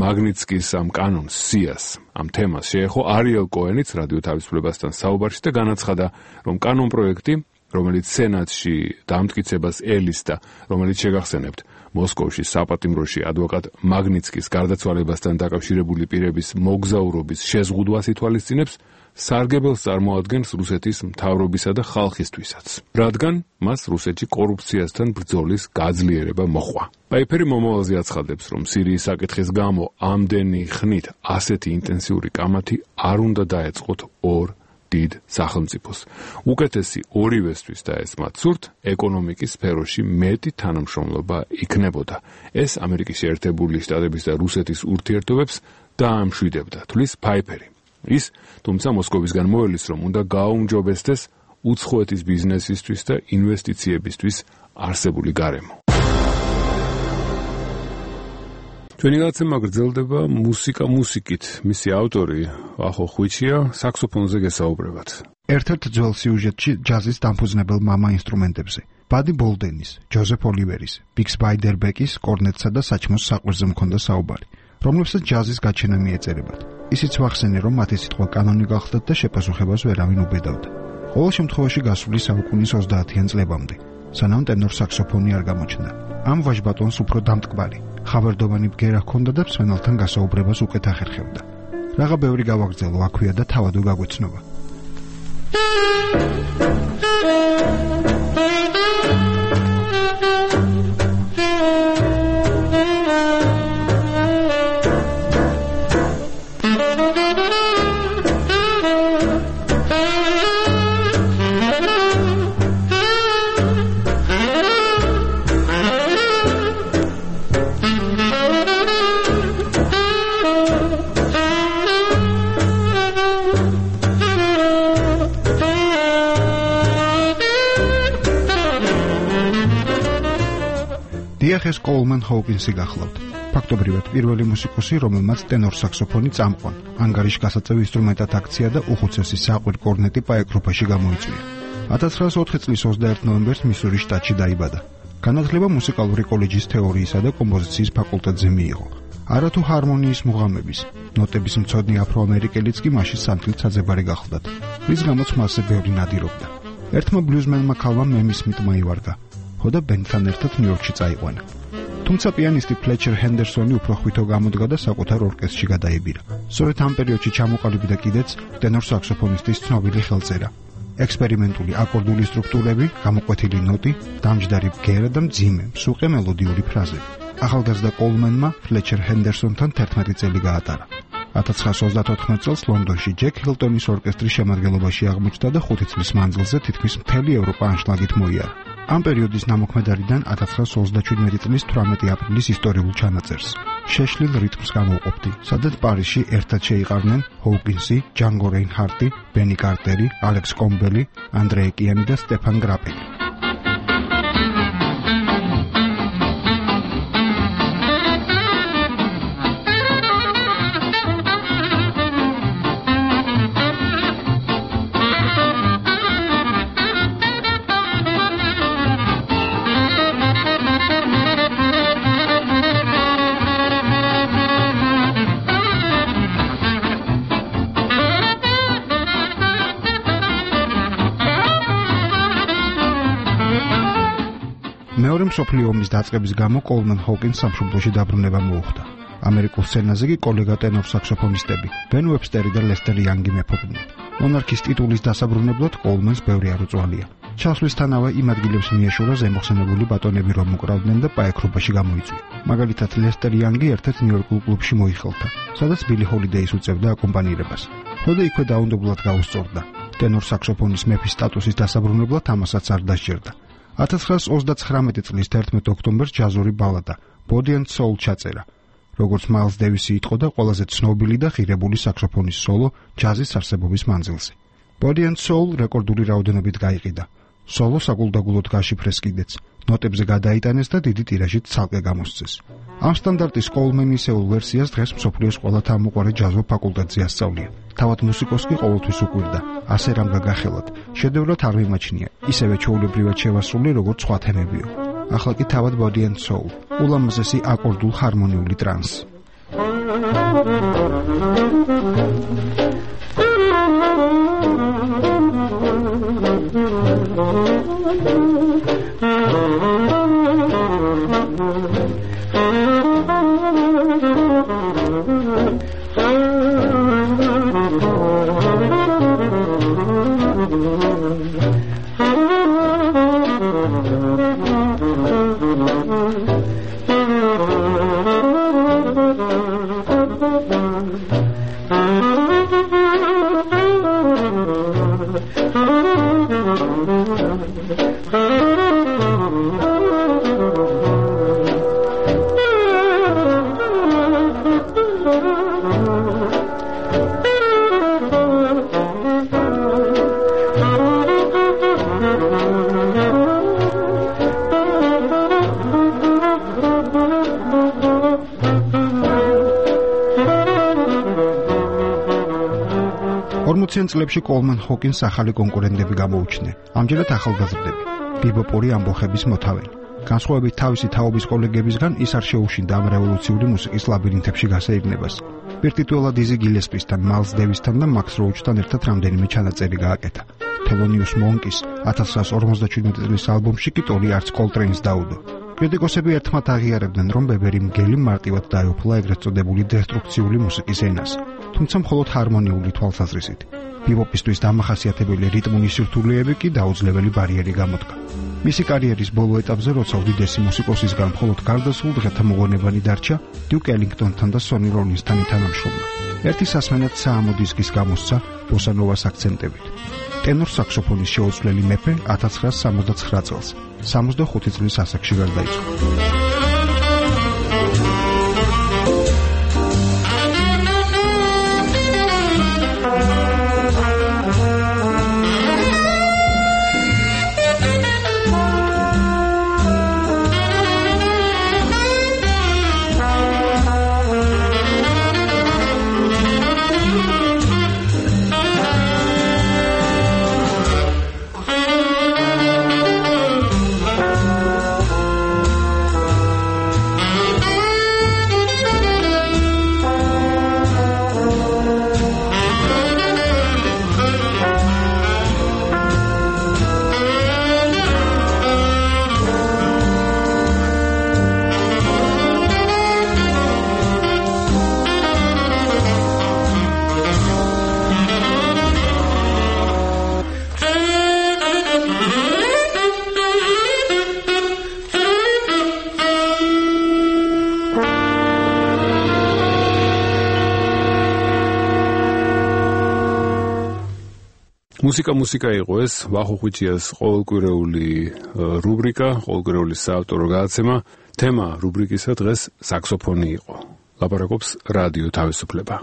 მაგნიცკის ამ კანონს სიას ამ თემას შეეხო არიელ კოენიც რადიო თავისუფლებასთან საუბარში და განაცხადა, რომ კანონ პროექტი, რომელიც სენატში დამტკიცებას ელისდა, რომელიც შეგახსენებთ, მოსკოვში საპატიმროში ადვოკატ მაგნიცკის გარდაცვალებასთან დაკავშირებული პირების მოგზაურობის შეზღუდვას ითვალისწინებს, სარგებელს წარმოადგენს რუსეთის მთავრობისა და ხალხისთვისაც, რადგან მას რუსეთში კორუფციასთან ბრძოლის გაძლიერება მოჰყვა. პაიფერი მომავალზე აცხადებს, რომ სირიის საკითხის გამო ამდენი ხნით ასეთი ინტენსიური კამათი არ უნდა დაეწყოთ ორ დიდ სახელმწიფოს. უკეთესი ორივესთვის და ეს მათ სურთ, ეკონომიკის სფეროში მეტი თანამშრომლობა იქნებოდა. ეს ამერიკის შეერთებული შტატების და რუსეთის ურთიერთობებს დაამშვიდებდა, თვლის პაიფერი. ის, თუმცა მოსკოვისგან მოელის, რომ უნდა გააუმჯობესდეს უცხოეთის ბიზნესისთვის და ინვესტიციებისთვის არსებული გარემო. ჩვენი გადაცემა გრძელდება მუსიკა მუსიკით. მისი ავტორი ახო ხვიჩია, საქსოფონზე გესაუბრებათ. ერთ-ერთ ძველ სიუჟეტში ჯაზის დამფუძნებელ მამა ინსტრუმენტებზე. ბადი ბოლდენის, ჯოზეფ ოლივერის, ბიქს ბაიდერბეკის, კორნეტსა და საჩმოს საყვირზე მქონდა საუბარი, რომლებსაც ჯაზის გაჩენა მიეწერებათ. ისიც ვახსენე, რომ მათი სიტყვა კანონი გახდათ და შეპასუხებას ვერავინ უბედავდა. ყოველ შემთხვევაში გასული საუკუნის ოცდაათიან წლებამდე, სანამ ტენორ საქსოფონი არ გამოჩნდა. ამ ვაჟბატონს უფრო დამტკბარი, ხავერდოვანი ბგერა ჰქონდა და მსმენელთან გასაუბრებას უკეთ ახერხებდა. რაღა ბევრი გავაგრძელო აქვეა და თავადო გაგვეცნობა. დიახეს კოლმან ჰოუკინსი გახლავთ. ფაქტობრივად პირველი მუსიკოსი, რომელმაც ტენორ საქსოფონი წამყვან, ანგარიშ გასაწევ ინსტრუმენტად აქცია და უხუცესი საყვირ კორნეტი პაეკროფაში გამოიწვია. ათას ცხრაასოთხი წლის ოცდაერთი ნოემბერს მისურის შტატში დაიბადა. განათლება მუსიკალური კოლეჯის თეორიისა და კომპოზიციის ფაკულტეტზე მიიღო. არათუ ჰარმონიის მუღამების, ნოტების მცოდნე აფროამერიკელიც კი მაშინ სანთლით საძებარი გახლდათ, რის გამოც მასზე ბევრი ნადირობდა. ერთმა ბლუზმენმა ქალმა მემის მით მოივარგა. ხო და ბენდთან ერთად ნიუ-იორკში წაიყვანა. თუმცა პიანისტი ფლეჩერ ჰენდერსონი უფრო ხვითო გამოდგა და საკუთარ ორკესტრში გადაებირა. სწორედ ამ პერიოდში ჩამოყალიბდა კიდეც ტენორ საქსოფონისტის ცნობილი ხელწერა. ექსპერიმენტული აკორდული სტრუქტურები, გამოკვეთილი ნოტი, დამჯდარი ბგერა და მძიმე, მსუყე მელოდიური ფრაზები. ახალგაზრდა კოლმენმა ფლეჩერ ჰენდერსონთან თერთმეტი წელი გაატარა. ათას ცხრაასი ოცდაოთხ წელს ლონდონში ჯეკ ჰილტონის ორკესტრის შემადგენლობაში აღმოჩნდა და ხუთი წლის მანძილზე თითქმის მთელი ევროპა ანშლაგით მოიარა. ამ პერიოდის ნამოქმედარიდან ათას ცხრაასი ოცდაშვიდი წლის თვრამეტი აპრილის ისტორიულ ჩანაწერს. შეშლილ რიტმს გამოვყოფდი, სადაც პარიზში ერთად შეიყარნენ ჰოუკინსი, ჯანგო რეინჰარტი, ბენი კარტერი, ალექს კომბელი, ანდრე ეკიანი და სტეფან გრაპელი. მეორე მსოფლიო ომის დაწყების გამო კოლმენ ჰოკინს სამშობლოში დაბრუნება მოუხდა. ამერიკულ სცენაზე კი კოლეგა ტენორ საქსოფონისტები ბენ ვებსტერი და ლესტერ იანგი მეფობდნენ. მონარქის ტიტულის დასაბრუნებლად კოლმენს ბევრი არ უწვალია. ჩასვლისთანავე იმ ადგილებს მიეშურა ზემოხსენებული ბატონები რომ უკრავდნენ და პაექრობაში გამოიწვია. მაგალითად ლესტერ იანგი ერთ-ერთ ნიუ-იორკულ კლუბში მოიხელთა, სადაც ბილი ჰოლიდეის უწევდა აკომპანირებას. ხოდა იქვე დაუნდობლად გაუსწორდა. ტენორ საქსოფონის მეფის სტატუსის დასაბრუნებლად ამასაც არ დასჯერდა. ათას ცხრაასი ოცდაცხრამეტი წლის თერთმეტი ოქტომბერს ჯაზური ბალადა Body and Soul ჩაწერა. როგორც მაილს დევისი იტყო და ყველაზე ცნობილი და ღირებული საქსოფონის სოლო ჯაზის არსებობის მანძილზე. Body and Soul რეკორდული რაოდენობით გაიყიდა. სოლო საგულდაგულოდ გაშიფრეს კიდეც, ნოტებზე გადაიტანეს და დიდი ტირაჟით ცალკე გამოსცეს. ამ სტანდარტის კოლმენისეულ ვერსიას დღეს მსოფლიოს ყველა თავმოყარე ჯაზო ფაკულტეტზე ასწავლია. თავად მუსიკოს კი ყოველთვის უკვირდა, ასე რამ გაგახელათ, შედევრად არ მიმაჩნია, ისევე ჩვეულებრივად შევასრულე როგორც სხვა თემებიო. ახლა კი თავად Body and Soul, ულამაზესი აკორდულ ჰარმონიული ტრანსი. ოციან წლებში კოლმენ ჰოკინს ახალი კონკურენტები გამოუჩნდნენ. ამჯერად ახალგაზრდები, ბიბოპური ამბოხების მოთავენი. განსხვავებით თავისი თაობის კოლეგებისგან, ის არ შეუშინდა ამ რევოლუციური მუსიკის ლაბირინთებში გასეირნებას. პირტიტუალად იზი გილესპისთან, მაილს დევისთან და მაქს როუჩთან ერთად რამდენიმე ჩანაწერი გააკეთა. თელონიუს მონკის ათას ცხრაასი ორმოცდაშვიდი წლის ალბომში კი ტორი არც კოლტრეინს დაუდო. კრიტიკოსები ერთმანეთს აღიარებდნენ, რომ ბებერი მგელი მარტივად დაეუფლა ეგრეთ წოდებული დესტრუქციული მუსიკის ენას, თუმცა მხოლოდ ჰარმონიული თვალსაზრისით. ბიბოპისთვის დამახასიათებელი რიტმული სირთულეები კი დაუძლეველი ბარიერი გამოდგა. მისი კარიერის ბოლო ეტაპზე, როცა უდიდესი მუსიკოსისგან მხოლოდ გარდასრულ დღეთა მოღონებანი დარჩა, დიუკ ელინგტონთან და სონი როლინსთან ითანამშრომლა. ერთი სასმენად საამო დისკის გამოსცა ბოსანოვას აქცენტებით. ტენორ საქსოფონის შეუცვლელი მეფე ათას ცხრაასი სამოცდაცხრა წელს, სამოცდახუთი წლის ასაკში გარდაიცვალა. მუსიკა მუსიკა იყო ეს ვახუხვიჩიას ყოველკვირეული რუბრიკა, ყოველკვირეული საავტორო გადაცემა. თემა რუბრიკისა დღეს საქსოფონი იყო. ლაპარაკობს რადიო თავისუფლება.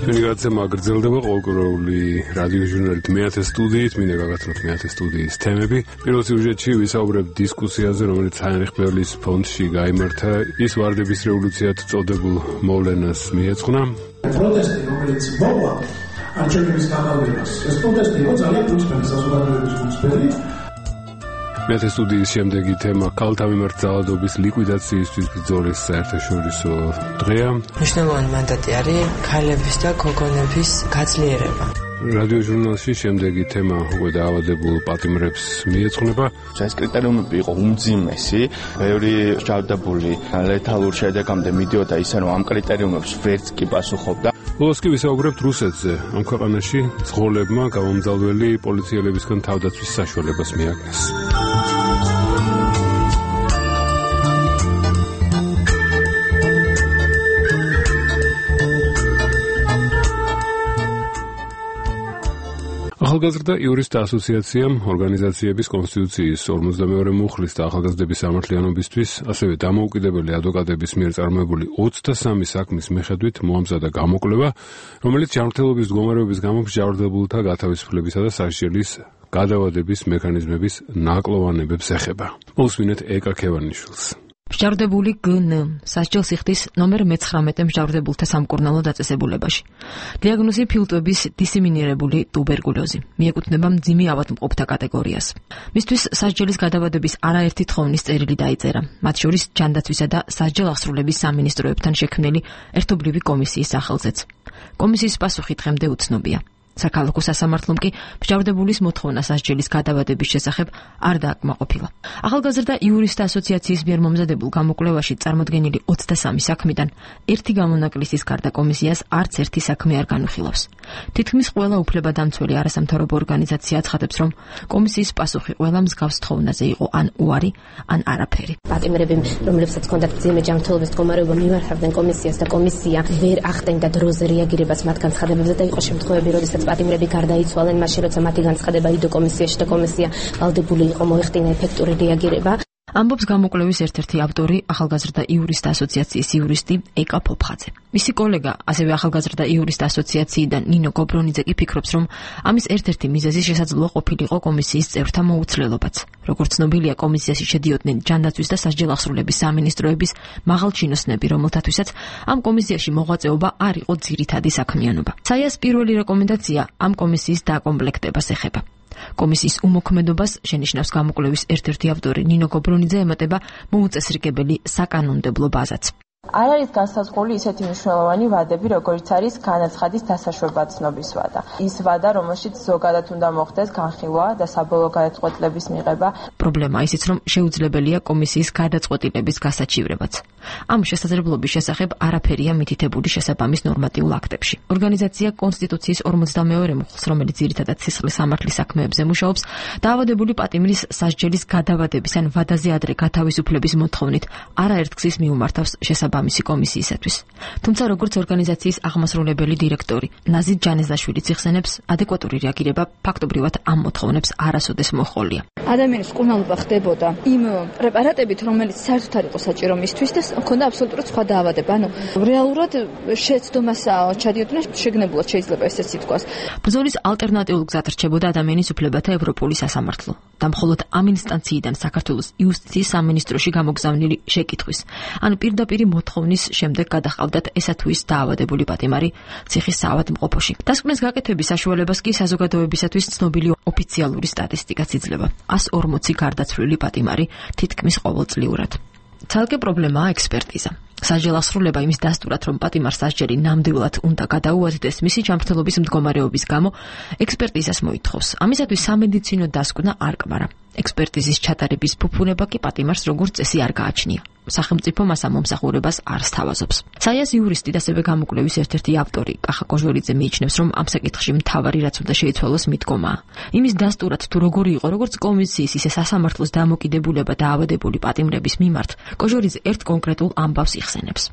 ჩვენი გადაცემა გრძელდება ყოველკვირეული რადიო ჟურნალით მეათე სტუდიით, მინდა გაგაცნოთ მეათე სტუდიის თემები. პირველ სიუჟეტში ვისაუბრებთ დისკუსიაზე, რომელიც ჰაინრიხ ბერლის ფონდში გაიმართა, ის ვარდების რევოლუციად წოდებულ მოვლენას მიეძღვნა. პროტესტი, რომელიც მოყვა არჩევნების გამარჯვებას. ეს პროტესტი იყო ძალიან უცბელი საზოგადოების უცბელი. მეათე სტუდიის შემდეგი თემა ქალთა მიმართ ძალადობის ლიკვიდაციისთვის ბრძოლის საერთაშორისო დღეა. მნიშვნელოვანი მანდატი არის ქალების და გოგონების გაძლიერება. რადიო ჟურნალში შემდეგი თემა უკვე დაავადებულ პატიმრებს მიეძღვნება. ეს კრიტერიუმები იყო უმძიმესი, ბევრი ჯავდებული ლეთალურ შედეგამდე მიდიოდა ისე რომ ამ კრიტერიუმებს ვერც კი პასუხობდა. ბოლოს კი ვისაუბრებთ რუსეთზე. ამ ქვეყანაში მძღოლებმა გამომძალველი პოლიციელებისგან თავდაცვის საშუალებას მიაგნეს. ახალგაზრდა იურისტთა ასოციაციამ ორგანიზაციების კონსტიტუციის ორმოცდამეორე მუხლის და ახალგაზრდების სამართლიანობისთვის, ასევე დამოუკიდებელი ადვოკატების მიერ წარმოებული ოცდასამი საქმის მიხედვით მოამზადა გამოკვლევა, რომელიც ჯანმრთელობის მდგომარეობის გამო მსჯავრდებულთა გათავისუფლებისა და სასჯელის გადავადების მექანიზმების ნაკლოვანებებს ეხება. მოვუსმინეთ ეკა ქევანიშვილს. მსჯავრდებული გნ სასჯელს იხდის ნომერ მეცხრამეტე მსჯავრდებულთა სამკურნალო დაწესებულებაში. დიაგნოზი ფილტვების დისემინირებული ტუბერკულოზი. მიეკუთვნება მძიმე ავადმყოფთა კატეგორიას. მისთვის სასჯელის გადავადების არაერთი თხოვნის წერილი დაიწერა, მათ შორის ჯანდაცვისა და სასჯელ-აღსრულების სამინისტროებთან შექმნილი ერთობლივი კომისიის სახელზეც. კომისიის პასუხი დღემდე უცნობია. საქალაქო სასამართლომ კი მსჯავრდებულის მოთხოვნა სასჯელის გადავადების შესახებ არ დააკმაყოფილა. ახალგაზრდა იურისტთა ასოციაციის მიერ მომზადებულ გამოკვლევაში წარმოდგენილი ოცდასამი საქმიდან ერთი გამონაკლისის გარდა კომისიას არც ერთი საქმე არ განვიხილავს. თითქმის ყველა უფლებადამცველი არასამთავრობო ორგანიზაცია აცხადებს, რომ კომისიის პასუხი ყველა მსგავს თხოვნაზე იყო ან უარი, ან არაფერი. პატიმრები, რომლებსაც ჰქონდათ მძიმე ჯანმრთელობის მდგომარეობა, მიმართავდნენ კომისიას და კომისია ვერ ახდენდა დროზე რეაგირებას მათ განცხადებებზე და იყო შემთხვევები, როდესაც პატიმრები გარდაიცვალნენ, მაშინ როცა მათი განცხადება იდო კომისიაში და კომისია ვალდებული იყო მოეხდინა ეფექტური რეაგირება. ამბობს გამოკვლევის ერთ-ერთი ავტორი, ახალგაზრდა იურისტთა ასოციაციის იურისტი ეკა ფოფხაძე. მისი კოლეგა, ასევე ახალგაზრდა იურისტთა ასოციაციიდან ნინო გობრონიძე კი ფიქრობს, რომ ამის ერთ-ერთი მიზეზი შესაძლოა ყოფილიყო კომისიის წევრთა მოუცლელობაც. როგორც ცნობილია, კომისიაში შედიოდნენ ჯანდაცვის და სასჯელ-აღსრულების სამინისტროების მაღალჩინოსნები, რომელთათვისაც ამ კომისიაში მოღვაწეობა არ იყო ძირითადი საქმიანობა. საიას პირველი რეკომენდაცია ამ კომისიის დაკომპლექტებას ეხება. კომისიის უმოქმედობას შენიშნავს გამოკვლევის ერთ-ერთი ავტორი ნინო გობრონიძე ემატება მოუწესრიგებელი საკანონმდებლო ბაზაც. არ არის განსაზღვრული ისეთი მნიშვნელოვანი ვადები, როგორც არის განაცხადის დასაშვება ცნობის ვადა. ის ვადა, რომელშიც ზოგადად უნდა მოხდეს განხილვა და საბოლოო გადაწყვეტილების მიღება. პრობლემაა ისიც, რომ შეუძლებელია კომისიის გადაწყვეტილების გასაჩივრებაც. ამ შესაძლებლობის შესახებ არაფერია მითითებული შესაბამის ნორმატიულ აქტებში. ორგანიზაცია კონსტიტუციის ორმოცდამეორე მუხლს, რომელიც ძირითადად სისხლის სამართლის საქმეებზე მუშაობს, დაავადებული პატიმრის სასჯელის გადავადების ან ვადაზე ადრე გათავისუფლების მოთხოვნით არაერთგზის მიუმართავს შესაბამისი კომისიისათვის. თუმცა როგორც ორგანიზაციის აღმასრულებელი დირექტორი ნაზი ჯანეზაშვილი იხსენებს, ადეკვატური რეაგირება ფაქტობრივად ამ მოთხოვნებს არასოდეს მოჰყოლია. ადამიანის მკურნალობა ხდებოდა იმ პრეპარატებით, რომელიც საერთოდ არ იყო საჭირო მისთვის და ჰქონდა აბსოლუტურად სხვა დაავადება. ანუ რეალურად შეცდომას ჩადიოდნენ, შეგნებულად შეიძლება ესეც ითქვას. ბრძოლის ალტერნატიულ გზად რჩებოდა ადამიანის უფლებათა ევროპული სასამართლო და მხოლოდ ამ ინსტანციიდან საქართველოს იუსტიციის სამინისტროში გამოგზავნილი შეკითხვის, ანუ პირდაპირ მოთხოვნის შემდეგ გადაჰყავდათ ესა თუ ის დაავადებული პატიმარი ციხის საავადმყოფოში. დასკვნის გაკეთების საშუალებას კი საზოგადოებისათვის ცნობილი ოფიციალური სტატისტიკაც იძლევა. ას ორმოცი გარდაცვლილი პატიმარი თითქმის ყოველწლიურად. ცალკე პრობლემაა ექსპერტიზა. სასჯელ-აღსრულება იმის დასტურად, რომ პატიმარს სასჯელი ნამდვილად უნდა გადაუვადდეს მისი ჯანმრთელობის მდგომარეობის გამო, ექსპერტიზას მოითხოვს. ამისათვის სამედიცინო დასკვნა არ კმარა. ექსპერტიზის ჩატარების ფუფუნება კი პატიმარს როგორც წესი არ გააჩნია. სახელმწიფო მას ამ მომსახურებას არ სთავაზობს. საიას იურისტი და ასევე გამოკვლევის ერთ-ერთი ავტორი კახა კოჟორიძე მიიჩნევს, რომ ამ საკითხში მთავარი რაც უნდა შეიცვალოს მიდგომაა. იმის დასტურად თუ როგორი იყო როგორც კომისიის, ისე სასამართლოს დამოკიდებულება დაავადებული პატიმრების მიმართ, კოჟორიძე ერთ კონკრეტულ ამბავს მოიხსენებს.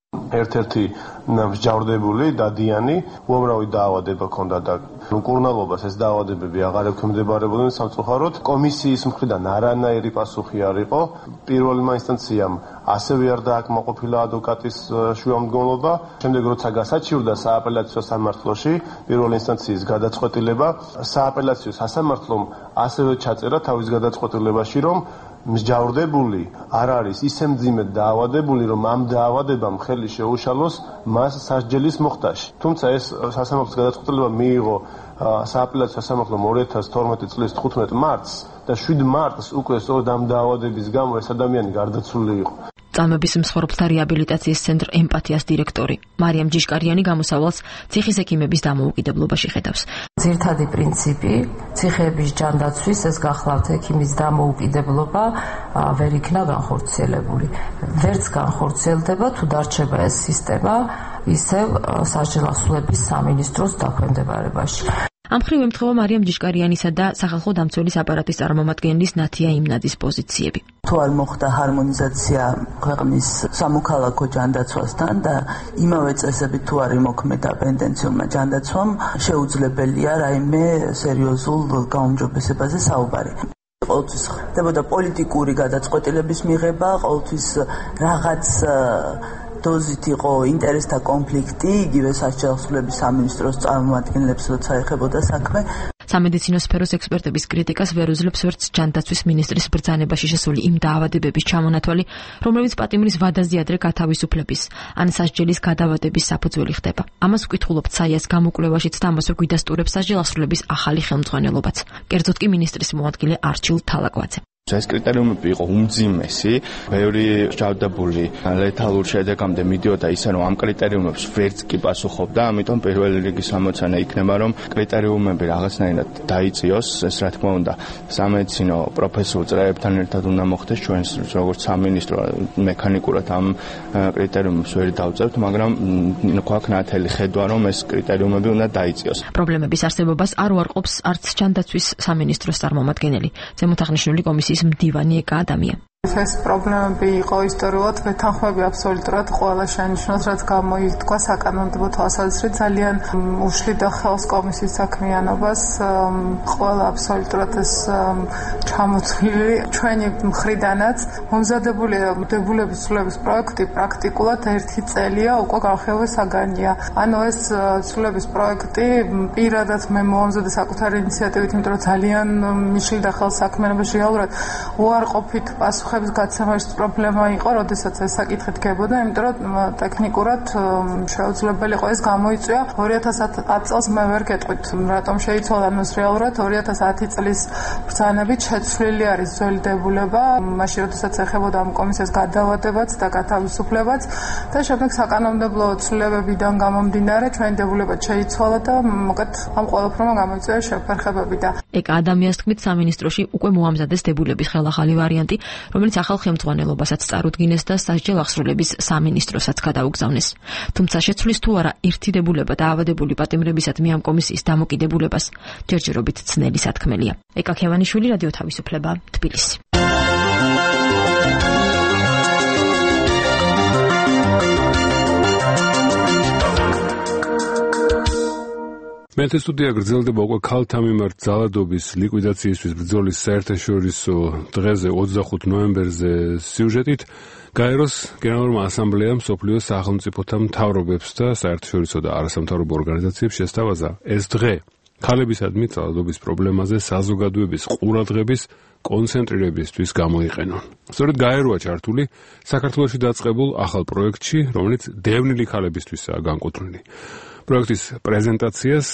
ერთ-ერთი მსჯავრდებული დადიანი უამრავი დაავადება ჰქონდა და უკურნალობას ეს დაავადებები აღარ ექვემდებარებოდნენ სამწუხაროდ. კომისიის მხრიდან არანაირი პასუხი არ იყო. პირველმა ინსტანციამ ასევე არ დააკმაყოფილა ადვოკატის შუამდგომლობა. შემდეგ როცა გასაჩივრდა სააპელაციო სამართლოში პირველი ინსტანციის გადაწყვეტილება, სააპელაციო სასამართლომ ასევე ჩაწერა თავის გადაწყვეტილებაში, რომ მსჯავრდებული არ არის ისე მძიმე დაავადებული, რომ ამ დაავადებამ ხელი შეუშალოს მას სასჯელის მოხდაში. თუმცა ეს სასამართლოს გადაწყვეტილება მიიღო სააპელაციო სასამართლომ ორი ათას თორმეტი წლის თხუთმეტ მარტს და შვიდ მარტს უკვე სწორედ ამ დაავადების გამო ეს ადამიანი გარდაცვლილი იყო. წამების მსხვერპლთა რეაბილიტაციის ცენტრ ემპათიას დირექტორი მარიამ ჯიშკარიანი გამოსავალს ციხის ექიმების დამოუკიდებლობაში ხედავს. ძირითადი პრინციპი ციხეების ჯანდაცვის ეს გახლავთ ექიმის დამოუკიდებლობა ვერ იქნა განხორციელებული. ვერც განხორციელდება თუ დარჩება ეს სისტემა ისევ სასჯელ ახსნების სამინისტროს დაქვემდებარებაში. ამ მხრივ ემთხვევა მარიამ ჯიშკარიანისა და სახალხო დამცველის აპარატის წარმომადგენლის ნათია იმნაძის პოზიციები. თუ არ მოხდა ჰარმონიზაცია ქვეყნის სამოქალაქო ჯანდაცვასთან და იმავე წესებით თუ არ იმოქმედა პენდენციურმა ჯანდაცვამ, შეუძლებელია რაიმე სერიოზულ გაუმჯობესებაზე საუბარი. ყოველთვის ხდებოდა პოლიტიკური გადაწყვეტილების მიღება, ყოველთვის რაღაც დოზით იყო ინტერესთა კონფლიქტი, იგივე სასჯელ ახსნების სამინისტროს წარმომადგენლებს როცა ეხებოდა საქმე. სამედიცინო სფეროს ექსპერტების კრიტიკას ვერ უძლებს ვერც ჯანდაცვის მინისტრის ბრძანებაში შესული იმ დაავადებების ჩამონათვალი, რომლებიც პატიმრის ვადაზე ადრე გათავისუფლების ან სასჯელის გადავადების საფუძველი ხდება. ამას ვკითხულობთ საიას გამოკვლევაშიც და ამასვე გვიდასტურებს სასჯელ ახსნების ახალი ხელმძღვანელობაც. კერძოდ კი მინისტრის მოადგილე არჩილ თალაკვაძე. ეს კრიტერიუმები იყო უმძიმესი, ბევრი ჯადებული ლეთალურ შედეგამდე მიდიოდა ისე რომ ამ კრიტერიუმებს ვერც კი პასუხობდა, ამიტომ პირველი რიგის ამოცანა იქნება რომ კრიტერიუმები რაღაცნაირად დაიწიოს, ეს რა თქმა უნდა სამედიცინო პროფესიულ წრეებთან ერთად უნდა მოხდეს, ჩვენ როგორც სამინისტრო მექანიკურად ამ კრიტერიუმებს ვერ დავწერთ, მაგრამ გვაქვს ნათელი ხედვა რომ ეს კრიტერიუმები უნდა დაიწიოს. პრობლემების არსებობას არ უარყოფს არც ჯანდაცვის სამინისტროს წარმომადგენელი. ზემოთ აღნიშნული კომისიის მდივანი ეკა ადამია. ეს პრობლემები იყო ისტორიულად ვეთანხმები აბსოლუტურად ყველა შენიშვნას, რაც გამოიწვა საკანონმდებლო თვალსაზრისით ძალიან უშლიდა ხელს კომისიის საქმიანობას, ყველა აბსოლუტურად ეს ჩამოთვლილი ჩვენი მხრიდანაც მომზადებული დებულების ცვლილების პროექტი პრაქტიკულად ერთი წელია უკვე განხილვის საგანია. ანუ ეს ცვლილების პროექტი პირადად მე მომზადე საკუთარი ინიციატივით, იმიტომ რომ ძალიან მიშლიდა ხელს საქმიანობაში რეალურად უარყოფით პასუხ ხების გაცემის პრობლემა იყო, როდესაც ეს საკითხი დგებოდა, იმიტომ რომ ტექნიკურად შეუძლებელი იყო ეს გამოიწვია ორი ათას ათი წელს მე ვერ გეტყვით, რატომ შეიცვალა ეს რეალურად ორი ათას ათი წლის ბრძანებით შეცვლილი არის ძველი დებულება, მაშინ როდესაც ეხებოდა ამ კომისიას გადავადებაც და გათავისუფლებაც და შემდეგ საკანონმდებლო ცვლილებებიდან გამომდინარე ჩვენი დებულება შეიცვალა და მოკეთ ამ ყველაფერმა გამოიწვია შეფერხებები და ეკა ადამიანის თქმით სამინისტროში უკვე მოამზადეს დებულების ხელახალი ვარიანტი, რომელიც ახალ ხელმძღვანელობასაც წარუდგინეს და სასჯელ ახსნების სამინისტროსაც გადაუგზავნეს. თუმცა შეცვლის თუ არა ერთი დებულება დაავადებული პატიმრებისადმი ამ კომისიის დამოკიდებულებას ჯერჯერობით ცნელი სათქმელია. ეკა ქევანიშვილი, რადიო თავისუფლება, თბილისი. მეთე სტუდია გრძელდება უკვე ქალთა მიმართ ძალადობის ლიკვიდაციისთვის ბრძოლის საერთაშორისო დღეზე ოცდახუთ ნოემბერზე სიუჟეტით გაეროს გენერალურმა ასამბლეამ მსოფლიოს სახელმწიფოთა მთავრობებს და საერთაშორისო და არასამთავრობო ორგანიზაციებს შესთავაზა ეს დღე ქალებისადმი ძალადობის პრობლემაზე საზოგადოების ყურადღების კონცენტრირებისთვის გამოიყენონ. სწორედ გაეროა ჩართული საქართველოში დაწყებულ ახალ პროექტში, რომელიც დევნილი ქალებისთვისაა განკუთვნილი. პროექტის პრეზენტაციას,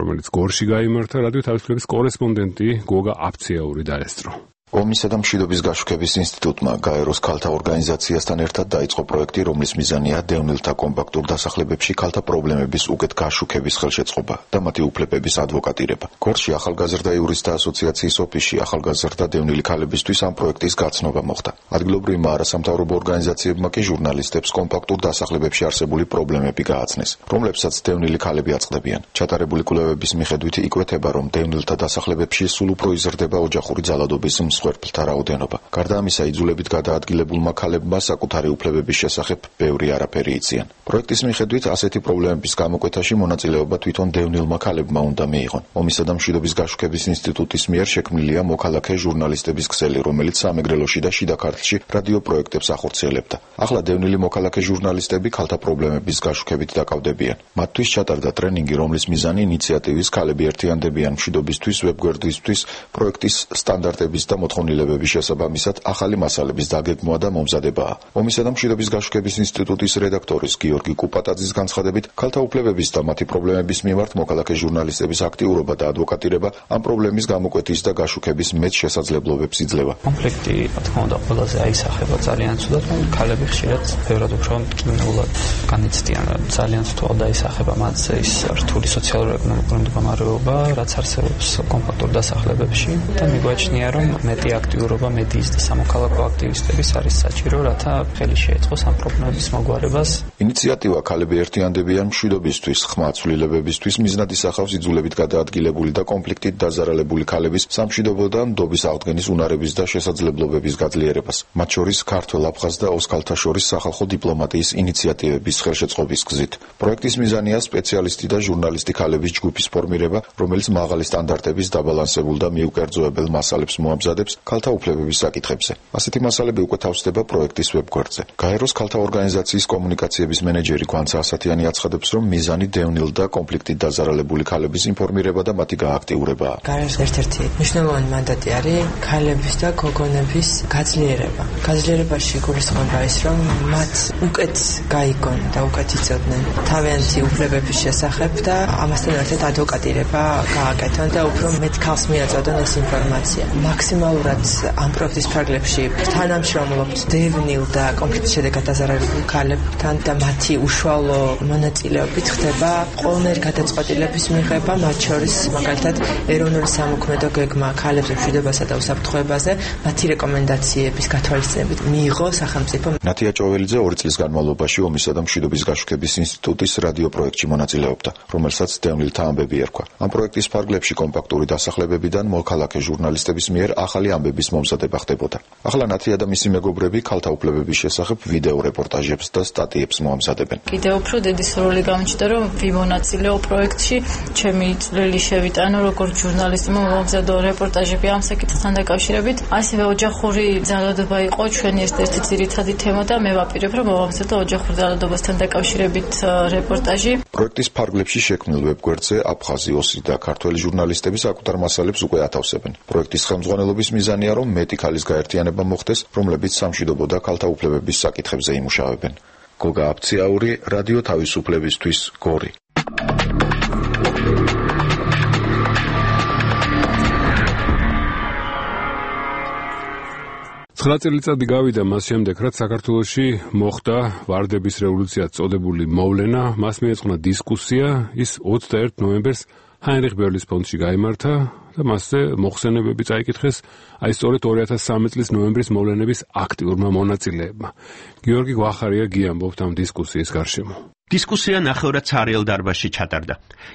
რომელიც გორში გაიმართა, რადიო თავისუფლების კორესპონდენტი გოგა აფციაური დაესწრო. ომისა და მშვიდობის გაშუქების ინსტიტუტმა გაეროს ქალთა ორგანიზაციასთან ერთად დაიწყო პროექტი, რომლის მიზანია დევნილთა კომპაქტურ დასახლებებში ქალთა პრობლემების უკეთ გაშუქების ხელშეწყობა და მათი უფლებების ადვოკატირება. გორში ახალგაზრდა იურისტთა ასოციაციის ოფისში ახალგაზრდა დევნილი ქალებისთვის ამ პროექტის გაცნობა მოხდა. ადგილობრივმა არასამთავრობო ორგანიზაციებმა კი ჟურნალისტებს კომპაქტურ დასახლებებში არსებული პრობლემები გააცნეს, რომლებსაც დევნილი ქალები აწყდებიან. ჩატარებული კვლევების მიხედვით იკვეთება, რომ დევნილთა დასახლებებში სულ უფრო იზრდება ოჯახური ძალადობის მსხვერპლთა რაოდენობა. გარდა ამისა, იძულებით გადაადგილებულმა ქალებმა საკუთარი უფლებების შესახებ ბევრი არაფერი იციან. პროექტის მიხედვით ასეთი პრობლემების გამოკვეთაში მონაწილეობა თვითონ დევნილმა ქალებმა უნდა მიიღონ. ომისა და მშვიდობის გაშუქების ინსტიტუტის მიერ შექმნილია მოქალაქე ჟურნალისტების ქსელი, რომელიც სამეგრელოში და შიდა ქართლში რადიო პროექტებს ახორციელებდა. ახლა დევნილი მოქალაქე ჟურნალისტები ქალთა პრობლემების გაშუქებით დაკავდებიან. მათთვის ჩატარდა ტრენინგი, რომლის მიზანი ინიციატივის ქალები ერთიანდებიან მშვიდობისთვის ვებგვერდისთვის პროექტის სტანდარტების და მოთხოვნილებების შესაბამისად ახალი მასალების დაგეგმვა და მომზადებაა. ომისა და მშვიდობის გაშუქების ინსტიტუტის რედაქტორის გიორგი კუპატაძის განცხადებით, ქალთა უფლებების და მათი პრობლემების მიმართ მოქალაქე ჟურნალისტების აქტიურობა და ადვოკატირება ამ პრობლემის გამოკვეთის და გაშუქების მეც შესაძლებლობებს იძლევა. კონფლიქტი, რა თქმა უნდა, ყველაზე აისახება ძალიან ცუდად, რომ ქალები ხშირად ბევრად უფრო მტკივნეულად განიცდიან. ძალიან ცუდად აისახება მათზე ის რთული სოციალურ-ეკონომიკური მდგომარეობა, რაც არსებობს კომფორტურ დასახლებებში და მიგვაჩნია, რომ მეტი აქტიურობა მედიის და სამოქალაქო აქტივისტების არის საჭირო, რათა ხელი შეეწყოს ამ პრობლემების მოგვარებას. ინიციატივა ქალები ერთიანდებიან მშვიდობისთვის, ხმა ცვლილებებისთვის მიზნად ისახავს იძულებით გადაადგილებული და კონფლიქტით დაზარალებული ქალების სამშვიდობო და ნდობის აღდგენის უნარების და შესაძლებლობების გაძლიერებას. მათ შორის ქართველ, აფხაზ და ოსქალთა შორის სახალხო დიპლომატიის ინიციატივების ხელშეწყობის გზით. პროექტის მიზანია სპეციალისტი და ჟურნალისტი ქალების ჯგუფის ფორმირება, რომელიც მაღალი სტანდარტების დაბალანსებულ და მიუკერძოებელ მასალებს მოამზადებს ქალთა უფლებების საკითხებზე. ასეთი მასალები უკვე თავსდება პროექტის ვებგვერდზე. გაეროს ქალთა ორგანიზაციის კომუნიკაციების მენეჯერი გვანცა ასათიანი აცხადებს, რომ მიზანი დევნილ და კონფლიქტით დაზარალებული ქალების ინფორმირება და მათი გააქტიურებაა. გაეროს ერთ-ერთი მნიშვნელოვანი მანდატი არის ქალების და გოგონების გაძლიერება. გაძლიერებაში გულისხმობა ის, რომ მათ უკეთ გაიგონ და უკეთ იცოდნენ თავიანთი უფლებების შესახებ და ამასთან ერთად ადვოკატირება გააკეთონ და უფრო მეტ ქალს მიაწოდონ ეს ინფორმაცია. მაქსიმალურად ამ პროექტის ფარგლებში თანამშრომლობთ დევნილ და კონფლიქტის შედეგად დაზარალებული ქალებთან და მათი უშუალო მონაწილეობით ხდება ყოველნაირი გადაწყვეტილების მიღება, მათ შორის მაგალითად ეროვნული სამოქმედო გეგმა ქალებზე მშვიდობასა და უსაფრთხოებაზე მათი რეკომენდაციების გათვალისწინებით მიიღო სახელმწიფო. ნათია ჭოველიძე ორი წლის განმავლობაში ომისა და მშვიდობის გაშუქების ინსტიტუტის რადიო პროექტში მონაწილეობდა, რომელსაც დევნილთა ამბები ერქვა. ამ პროექტის ფარგლებში კომპაქტური დასახლებებიდან მოქალაქე ჟურნალისტების მიერ ახალი ამბების მომზადება ხდებოდა. ახლა ნათია და მისი მეგობრები ქალთა უფლებების შესახებ ვიდეო რეპორტაჟებს და სტატიებს მოამზადებენ. კიდევ უფრო დიდი სრული გამჩნდა, რომ ვიმონაწილეო პროექტში, ჩემი წვლილი შევიტანო როგორც ჟურნალისტმა მომზადო რეპორტაჟები ამ საკითხთან დაკავშირებით. ასევე ოჯახური ძალადობა იყო ჩვენი ერთ-ერთი ძირითადი თემა და მე ვაპირებ, რომ მომზადო ოჯახურ ძალადობასთან დაკავშირებით რეპორტაჟი. პროექტის ფარგლებში შექმნილ ვებგვერდზე აფხაზი, ოსი და ქართველი ჟურნალისტები საკუთარ მასალებს უკვე ათავსებენ. პროექტის ხელმძღვანელობის მიზანია, რომ მეტი ქალის გაერთიანება მოხდეს, რომლებიც სამშვიდობო და ქალთა უფლებების საკითხებზე იმუშავებენ. გოგა აფციაური, რადიო თავისუფლებისთვის, გორი. ცხრა წელიწადი გავიდა მას შემდეგ, რაც საქართველოში მოხდა ვარდების რევოლუციად წოდებული მოვლენა, მას მიეძღვნა დისკუსია, ის ოცდაერთი ნოემბერს ჰაინრიხ ბერლის ფონდში გაიმართა და მასზე მოხსენებები წაიკითხეს აი სწორედ ორი ათას სამი წლის ნოემბრის მოვლენების აქტიურმა მონაწილეებმა. გიორგი გვახარია გიამბობთ ამ დისკუსიის გარშემო. დისკუსია ნახევრად ცარიელ დარბაზში ჩატარდა.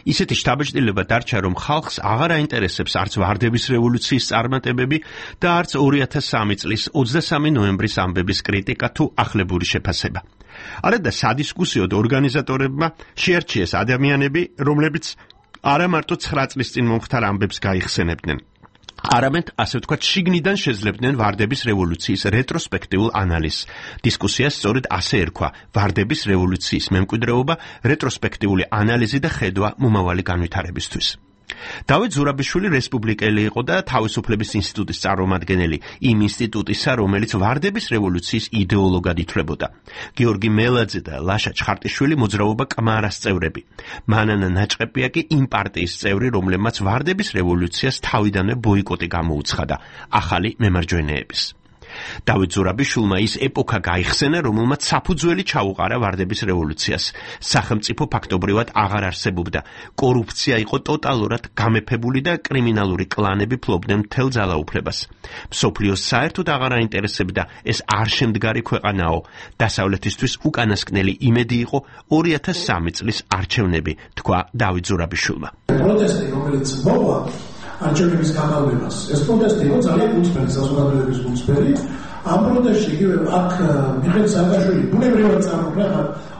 ისეთი შთაბეჭდილება დარჩა, რომ ხალხს აღარ აინტერესებს არც ვარდების რევოლუციის წარმატებები და არც ორი ათას სამი წლის ოცდასამი ნოემბრის ამბების კრიტიკა თუ ახლებური შეფასება. არადა სადისკუსიოდ ორგანიზატორებმა შეარჩიეს ადამიანები, რომლებიც არა მარტო ცხრა წლის წინ მომხდარ ამბებს გაიხსენებდნენ, არამედ ასე ვთქვათ შიგნიდან შეძლებდნენ ვარდების რევოლუციის რეტროსპექტიულ ანალიზს. დისკუსიას სწორედ ასე ერქვა ვარდების რევოლუციის მემკვიდრეობა, რეტროსპექტიული ანალიზი და ხედვა მომავალი განვითარებისთვის. დავით ზურაბიშვილი რესპუბლიკელი იყო და თავისუფლების ინსტიტუტის წარმომადგენელი, იმ ინსტიტუტისა, რომელიც ვარდების რევოლუციის იდეოლოგად ითვლებოდა. გიორგი მელაძე და ლაშა ჩხარტიშვილი მოძრაობა კმარას წევრები. მანანა ნაჭყეპია კი იმ პარტიის წევრი, რომლებმაც ვარდების რევოლუციას თავიდანვე ბოიკოტი გამოუცხადა ახალი მემარჯვენეების. დავით ზურაბიშვილმა ის ეპოქა გაიხსენა, რომელმაც საფუძველი ჩაუყარა ვარდების რევოლუციას. სახელმწიფო ფაქტობრივად აღარ არსებობდა. კორუფცია იყო ტოტალურად გამეფებული და კრიმინალური კლანები ფლობდნენ მთელ ძალაუფლებას. მსოფლიოს საერთოდ აღარ აინტერესებდა ეს არ შემდგარი ქვეყანაო. დასავლეთისთვის უკანასკნელი იმედი იყო ორი ათას სამი წლის არჩევნები, თქვა დავით ზურაბიშვილმა. პროტესტი, რომელიც მოვა არჩევნების გაყალბებას. ეს პროტესტი იყო ძალიან უცბელი საზოგადოების უცბელი. ამ პროტესტში იგივე აქ მიხეილ სააკაშვილი ბუნებრივად წარმოქმნა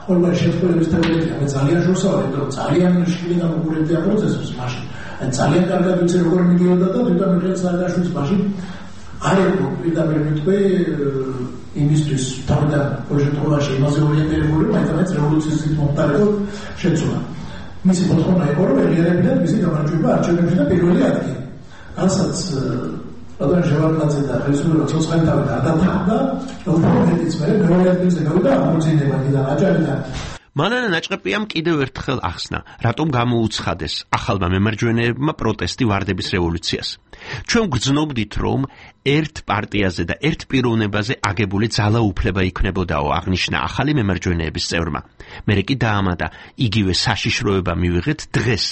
ხოლმე შეწყვილების თემებია. მე ძალიან შორსავდი, რომ ძალიან შილი გამოგურებია პროცესს მაშინ. ან ძალიან კარგად ვიცი როგორ მიდიოდა და თვითონ მიხეილ სააკაშვილის მაშინ არ იყო პირდაპირ მიტყვი იმისთვის თავიდან პროჟექტურაში იმაზე ორიენტირებული, მაინც რევოლუციის მომხდარიყო შეცვლა. მისი მოთხოვნა იყო, რომ ელიერებიდან მისი გამარჯვება არჩევნებში და პირველი ადგილი. რასაც რადგან შევარდნაძე და ხელისუფლება ცოცხალთავი გადათავდა, უფრო მეტიც მე მეორე ადგილზე გავიდა ამოძინება კიდე აჭარიდან. მანანა ნაჭყეპიამ კიდევ ერთხელ ახსნა, რატომ გამოუცხადეს ახალმა მემარჯვენეებმა პროტესტი ვარდების რევოლუციას. ჩვენ გრძნობდით, რომ ერთ პარტიაზე და ერთ პიროვნებაზე აგებული ძალაუფლება იქნებოდაო, აღნიშნა ახალი მემარჯვენეების წევრმა. მერე კი დაამატა, იგივე საშიშროება მივიღეთ დღეს,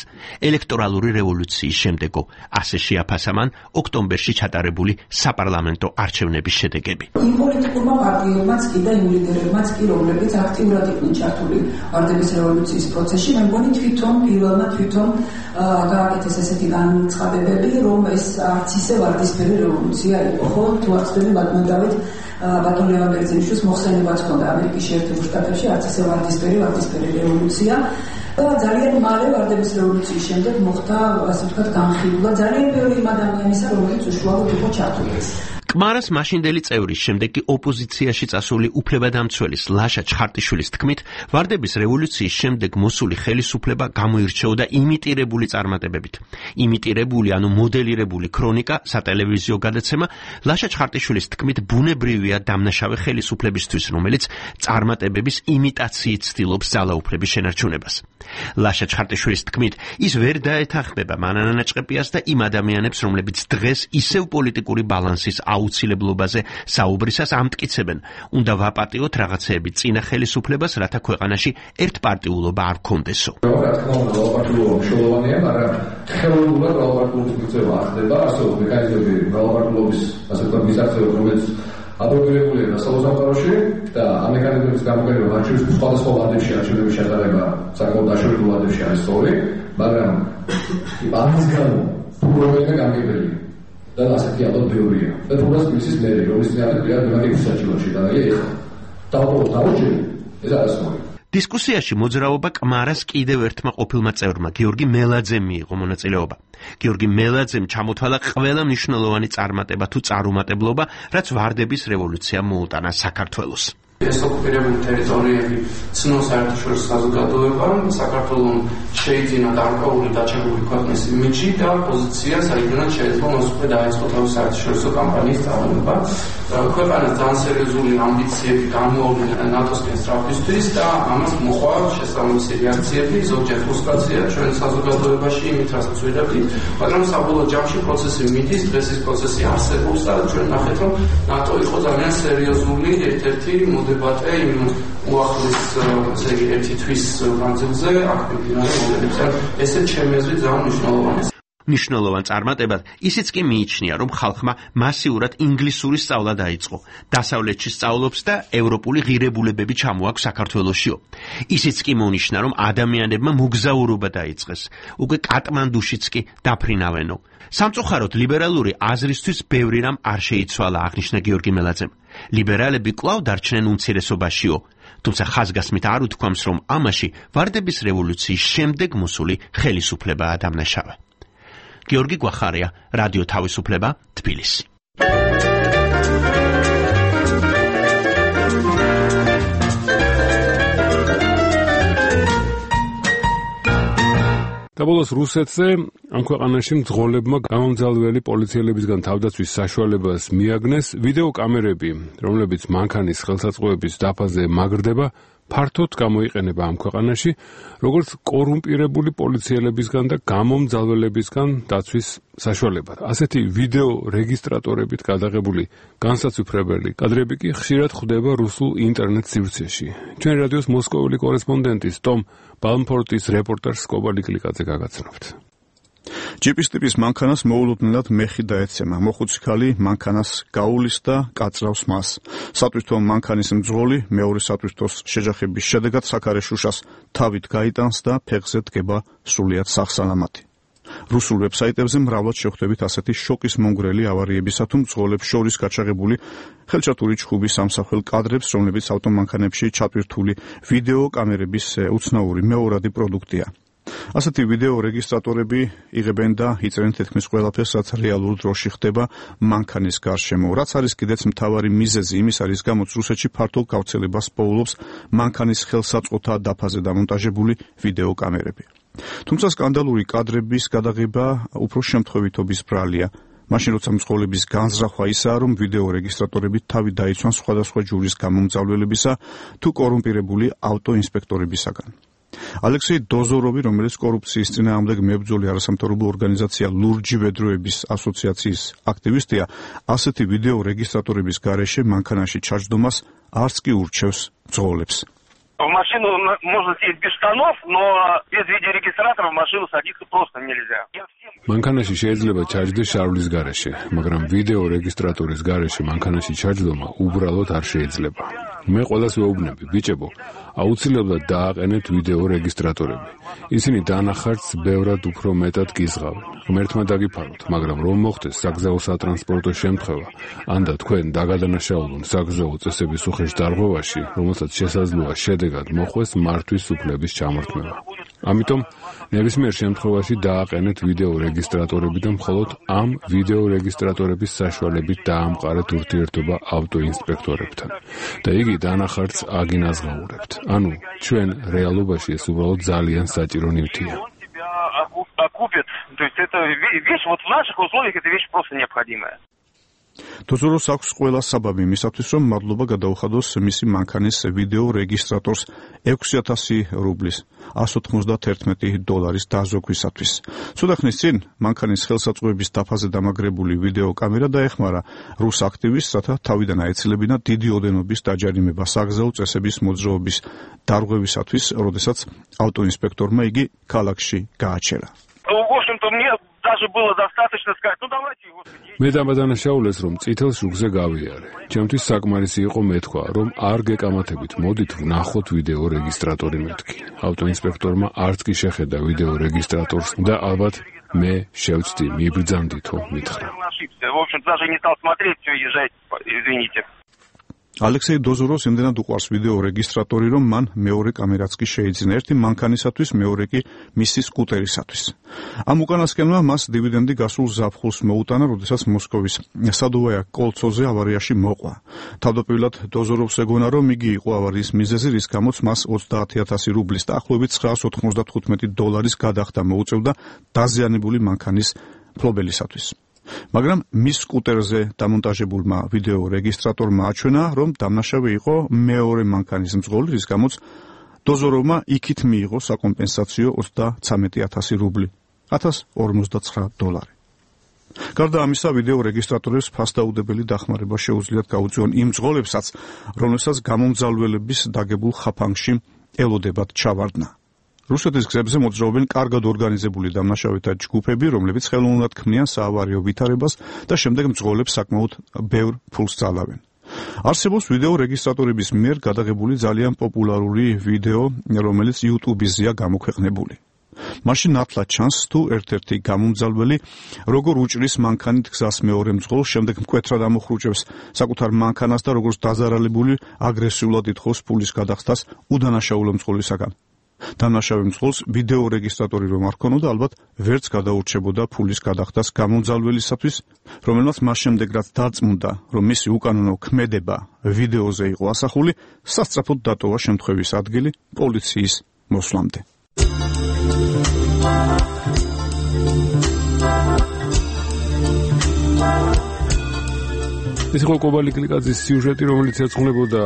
ელექტორალური რევოლუციის შემდეგო. ასე შეაფასა მან ოქტომბერში ჩატარებული საპარლამენტო არჩევნების შედეგები. იმ პოლიტიკურმა პარტიებმაც კი და იმ ლიდერებმაც კი, რომლებიც აქტიურად იყვნენ ჩართული ვარდების რევოლუციის პროცესში, მე მგონი თვითონ პირველმა თვითონ გააკეთეს ესეთი განცხადებები, რომ ეს არც ისე ვარდისფერი რევოლუცია იყო, ხო? თუ ახსენე ბატონდავით ბატონ ლევან ბერძენიშვილის მოხსენებაც ჰქონდა ამერიკის შეერთებულ შტატებში, არც ისე ვარდისფერი ვარდისფერი რევოლუცია. ძალიან მალე ვარდების რევოლუციის შემდეგ მოხდა, ასე ვთქვათ, განხილვა ძალიან ბევრი იმ ადამიანისა, რომელიც უშუალოდ იყო ჩართული. კმარას მაშინდელი წევრის შემდეგ კი ოპოზიციაში წასული უფლებადამცველის ლაშა ჩხარტიშვილის თქმით, ვარდების რევოლუციის შემდეგ მოსული ხელისუფლება გამოირჩეოდა იმიტირებული წარმატებებით. იმიტირებული, ანუ მოდელირებული ქრონიკა, სატელევიზიო გადაცემა, ლაშა ჩხარტიშვილის თქმით, ბუნებრივია დამნაშავე ხელისუფლებისთვის, რომელიც წარმატებების იმიტაციით ცდილობს ძალაუფლების შენარჩუნებას. ლაშა ჩხარტიშვილის თქმით, ის ვერ დაეთანხმება მანანა ნაჭყეპიას და იმ ადამიანებს, რომლებიც დღეს ისევ პოლიტიკური ბალანსის აუცილებლობაზე საუბრისას ამტკიცებენ, უნდა ვაპატიოთ რაღაცეები წინა ხელისუფლებას, რათა ქვეყანაში ერთპარტიულობა არ გქონდესო. რა თქმა უნდა, ვაპატიულობა მნიშვნელოვანია, მაგრამ ხელოვნურად ვაპატიულობის მიღწევა არ ხდება, ასევე მექანიზმები ვაპატიულობის, ასე ვთქვათ, მისაღწევად, რომელიც აპრობირებულია დასავლურ და ამ მექანიზმების გამოყენება არჩევნების სხვადასხვა ვარდებში არჩევნების ჩატარება საკმაოდ დაშორებულ ვარდებში არის სწორი, მაგრამ ამის გამო პრობლემა გამიგებელია. და ასეთი ალბათ ბევრია. და თუნდაც მისის მერი, რომლის წინააღმდეგ პირად მემაგების საჩივარში დაგია ეხლა. დავყო დავჭერი, ეს არასწორი. დისკუსიაში მოძრაობა კმარას კიდევ ერთმა ყოფილმა წევრმა, გიორგი მელაძემ მიიღო მონაწილეობა. გიორგი მელაძემ ჩამოთვალა ყველა მნიშვნელოვანი წარმატება თუ წარუმატებლობა, რაც ვარდების რევოლუციამ მოუტანა საქართველოს. ეს ოკუპირებული ტერიტორიები ცნობს საერთაშორისო საზოგადოებამ, საქართველოს შეიძინა გარკვეული დაჩაგრული ქვეყნის იმიჯი და პოზიცია, საიდანაც შეიძლება მას უკვე დაიწყო თავის საერთაშორისო კამპანიის წარმოება. ქვეყანას ძალიან სერიოზული ამბიციები გამოავლინა ნატოსკენ სწრაფისთვის და ამას მოყვა შესაბამისი რეაქციები, ზოგჯერ ფრუსტრაცია ჩვენ საზოგადოებაში იმით, რასაც ვიღებთ, მაგრამ საბოლოო ჯამში პროცესი მიდის, დღეს ეს პროცესი არსებობს და ჩვენ ნახეთ, რომ ნატო იყო ძალიან სერიოზული ერთ-ერთი დებატე იმ უახლეს ესე იგი ერთი თვის განმავლობაში აქ მიმდინარე მოვლენებზე. ესე ჩემი აზრით ძალიან მნიშვნელოვანია. მნიშვნელოვან წარმატებად ისიც კი მიიჩნია, რომ ხალხმა მასიურად ინგლისური სწავლა დაიწყო. დასავლეთში სწავლობს და ევროპული ღირებულებები ჩამოაქვს საქართველოსშიო. ისიც კი მონიშნა, რომ ადამიანებმა მოგზაურობა დაიწყეს. უკვე კატმანდუშიც კი დაფრინავენო. სამწუხაროდ ლიბერალური აზრისთვის ბევრი რამ არ შეიცვალა, აღნიშნა გიორგი მელაძემ. ლიბერალები კვლავ დარჩნენ უმცირესობაშიო. თუმცა ხაზგასმით არ უთქვამს, რომ ამაში ვარდების რევოლუციის შემდეგ მოსული ხელისუფლებაა დამნაშავე. გიორგი გვახარია, რადიო თავისუფლება, თბილისი. დაბოლოს რუსეთზე ამ ქვეყანაში მძღოლებმა გამომძალველი პოლიციელებისგან თავდაცვის საშუალებას მიაგნეს ვიდეო კამერები, რომლებიც მანქანის ხელსაწყოების დაფაზე მაგრდება, ფართოდ გამოიყენება ამ ქვეყანაში, როგორც კორუმპირებული პოლიციელებისგან და გამომძალველებისგან დაცვის საშუალებად. ასეთი ვიდეო რეგისტრატორებით გადაღებული განსაცვიფრებელი კადრები კი ხშირად ხვდება რუსულ ინტერნეტ სივრცეში. ჩვენ რადიოს მოსკოველი კორესპონდენტის ტომ ბალმფორტის რეპორტაჟს კობალი კლიკაძე გაგაცნობთ. ჯიპის ტიპის მანქანას მოულოდნელად მეხი დაეცემა. მოხუცი ქალი მანქანას გაულის და კაწრავს მას. სატვირთო მანქანის მძღოლი მეორე სატვირთოს შეჯახების შედეგად საქარე შუშას თავით გაიტანს და ფეხზე დგება სრულიად სახსალამათი. რუსულ ვებსაიტებზე მრავლად შეხვდებით ასეთი შოკის მონგრელი ავარიებისა თუ მძღოლებს შორის გაჩაღებული ხელჩართული ჩხუბის სამსახელ კადრებს, რომლებიც ავტომანქანებში ჩატვირთული ვიდეო კამერების უცნაური მეორადი პროდუქტია. ასეთი ვიდეო რეგისტრატორები იღებენ და იწერენ თითქმის ყველაფერს, რაც რეალურ დროში ხდება მანქანის გარშემო. რაც არის კიდეც მთავარი მიზეზი იმის არის, გამოც რუსეთში ფართო გავრცელებას პოულობს მანქანის ხელსაწყოთა დაფაზე დამონტაჟებული ვიდეო კამერები. თუმცა სკანდალური კადრების გადაღება უფრო შემთხვევითობის ბრალია. მაშინ როცა მძღოლების განზრახვა ისაა, რომ ვიდეო რეგისტრატორები თავი დაიცვან სხვადასხვა ჯურის გამომძალველებისა თუ კორუმპირებული ავტოინსპექტორებისაგან. ალექსეი დოზოროვი, რომელიც კორუფციის წინააღმდეგ მებრძოლი არასამთავრობო ორგანიზაცია ლურჯი ვედროების ასოციაციის აქტივისტია, ასეთი ვიდეო რეგისტრატორების გარეშე მანქანაში ჩაჯდომას არც კი ურჩევს მძღოლებს. В машину можно сесть без штанов, но без видеорегистратора в машину садиться просто нельзя. მანქანაში შეიძლება ჩაჯდეს შარვლის გარეშე, მაგრამ ვიდეო რეგისტრატორის გარეშე მანქანაში ჩაჯდომა უბრალოდ არ შეიძლება. მე ყველას ვეუბნები, ბიჭებო, აუცილებლად დააყენეთ ვიდეო რეგისტრატორები. ისინი დანახარჯს ბევრად უფრო მეტად გიზღავენ. ღმერთმა დაგიფაროთ, მაგრამ რომ მოხდეს საგზაო სატრანსპორტო შემთხვევა, ან და თქვენ დაგადანაშაულონ საგზაო წესების უხეშ დარღვევაში, რომელსაც შესაძლოა შედეგად მოხვდეს მართვის უფლების ჩამორთმევა. ამიტომ ნებისმიერ შემთხვევაში დააყენეთ ვიდეო რეგისტრატორები და მხოლოდ ამ ვიდეო რეგისტრატორების საშუალებით დაამყარეთ ურთიერთობა ავტოინსპექტორებთან. და იგი დანახარჯს აგინაზღაურებთ. ანუ ჩვენ რეალობაში ეს უბრალოდ ძალიან საჭირო ნივთია. Окупит. То есть это вещь, вот в наших условиях эта вещь просто необходимая. დოზოროს აქვს ყველა საბაბი იმისათვის, რომ მადლობა გადაუხადოს მისი მანქანის ვიდეო რეგისტრატორს ექვსი ათასი რუბლის, εκατს ოცდაათი დოლარის დაზოგვისათვის. ცოტა ხნის წინ მანქანის ხელსაწყოების დაფაზე დამაგრებული ვიდეო კამერა დაეხმარა რუს აქტივისტს, რათა თავიდან აეცილებინა დიდი ოდენობის დაჯარიმება საგზაო წესების მოძრაობის დარღვევისათვის, როდესაც ავტოინსპექტორმა იგი ქალაქში გააჩერა. В общем-то, мне даже было достаточно сказать, ну давайте его... მე დამადანაშაულეს, რომ წითელ შუქზე გავიარე. ჩემთვის საკმარისი იყო მეთქვა, რომ არ გეკამათებით, მოდით ვნახოთ ვიდეო რეგისტრატორი მეთქი. ავტოინსპექტორმა არც კი შეხედა ვიდეო რეგისტრატორს და ალბათ მე შევწდი, მიბრძანდითო, მითხრა. В общем, даже не стал смотреть, все, езжайте, извините. ალექსეი დოზოროს იმდენად უყვარს ვიდეო რეგისტრატორი, რომ მან მეორე კამერაც კი შეიძინა, ერთი მანქანისათვის, მეორე კი მისი სკუტერისათვის. ამ უკანასკნელმა მას დივიდენდი გასულ ზაფხულს მოუტანა, როდესაც მოსკოვის სადოვაია კოლცოზე ავარიაში მოყვა. თავდაპირველად დოზოროვს ეგონა, რომ იგი იყო ავარიის მიზეზი, რის გამოც მას ოცდაათი ათასი რუბლის დაახლოებით ცხრაას ოთხმოცდათხუთმეტი დოლარის გადახდა მოუწევდა დაზიანებული მანქანის ფლობელისათვის. მაგრამ მის სკუტერზე დამონტაჟებულმა ვიდეო რეგისტრატორმა აჩვენა, რომ დამნაშავე იყო მეორე მანქანის მძღოლი, რის გამოც დოზოროვმა იქით მიიღო საკომპენსაციო ოცდაცამეტი ათასი რუბლი, ათას ორმოცდაცხრა დოლარი. გარდა ამისა, ვიდეო რეგისტრატორებს ფასდაუდებელი დახმარება შეუძლიათ გაუწიონ იმ მძღოლებსაც, რომელსაც გამომძალველების დაგებულ ხაფანგში ელოდებათ ჩავარდნა. რუსეთის გზებზე მოძრაობენ კარგად ორგანიზებული დამნაშავეთა ჯგუფები, რომლებიც ხელოვნურად ქმნიან საავარიო ვითარებას და შემდეგ მძღოლებს საკმაოდ ბევრ ფულს ძალავენ. არსებობს ვიდეო რეგისტრატორების მიერ გადაღებული ძალიან პოპულარული ვიდეო, რომელიც YouTube-ზეა გამოქვეყნებული. მაშინ ნათლად ჩანს, თუ ერთ-ერთი გამომძალველი როგორ უჭრის მანქანით გზას მეორე მძღოლს, შემდეგ მკვეთრად ამოხრუჭებს საკუთარ მანქანას და როგორც დაზარალებული აგრესიულად ითხოვს ფულის გადახდას უდანაშაულო მძღოლისაგან. დამნაშავე მძღოლს ვიდეო რეგისტრატორი რომ არ ქონოდა, ალბათ ვერც გადაურჩებოდა ფულის გადახდას გამომძალველისათვის, რომელმაც მას შემდეგ რაც დარწმუნდა, რომ მისი უკანონო ქმედება ვიდეოზე იყო ასახული, სასწრაფოდ დატოვა შემთხვევის ადგილი პოლიციის მოსვლამდე. ეს იყო კობალი კლიკაძის სიუჟეტი, რომელიც ეძღვნებოდა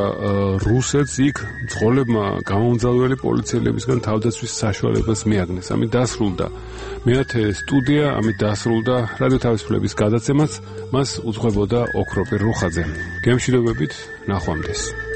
რუსეთს იქ მძღოლებმა გამომძალველი პოლიციელებისგან თავდაცვის საშუალებას მიაგნეს. ამით დასრულდა მეათე სტუდია, ამით დასრულდა რადიო თავისუფლების გადაცემაც, მას უძღვებოდა ოქროპირ რუხაძე. გემშვიდობებით, ნახვამდის.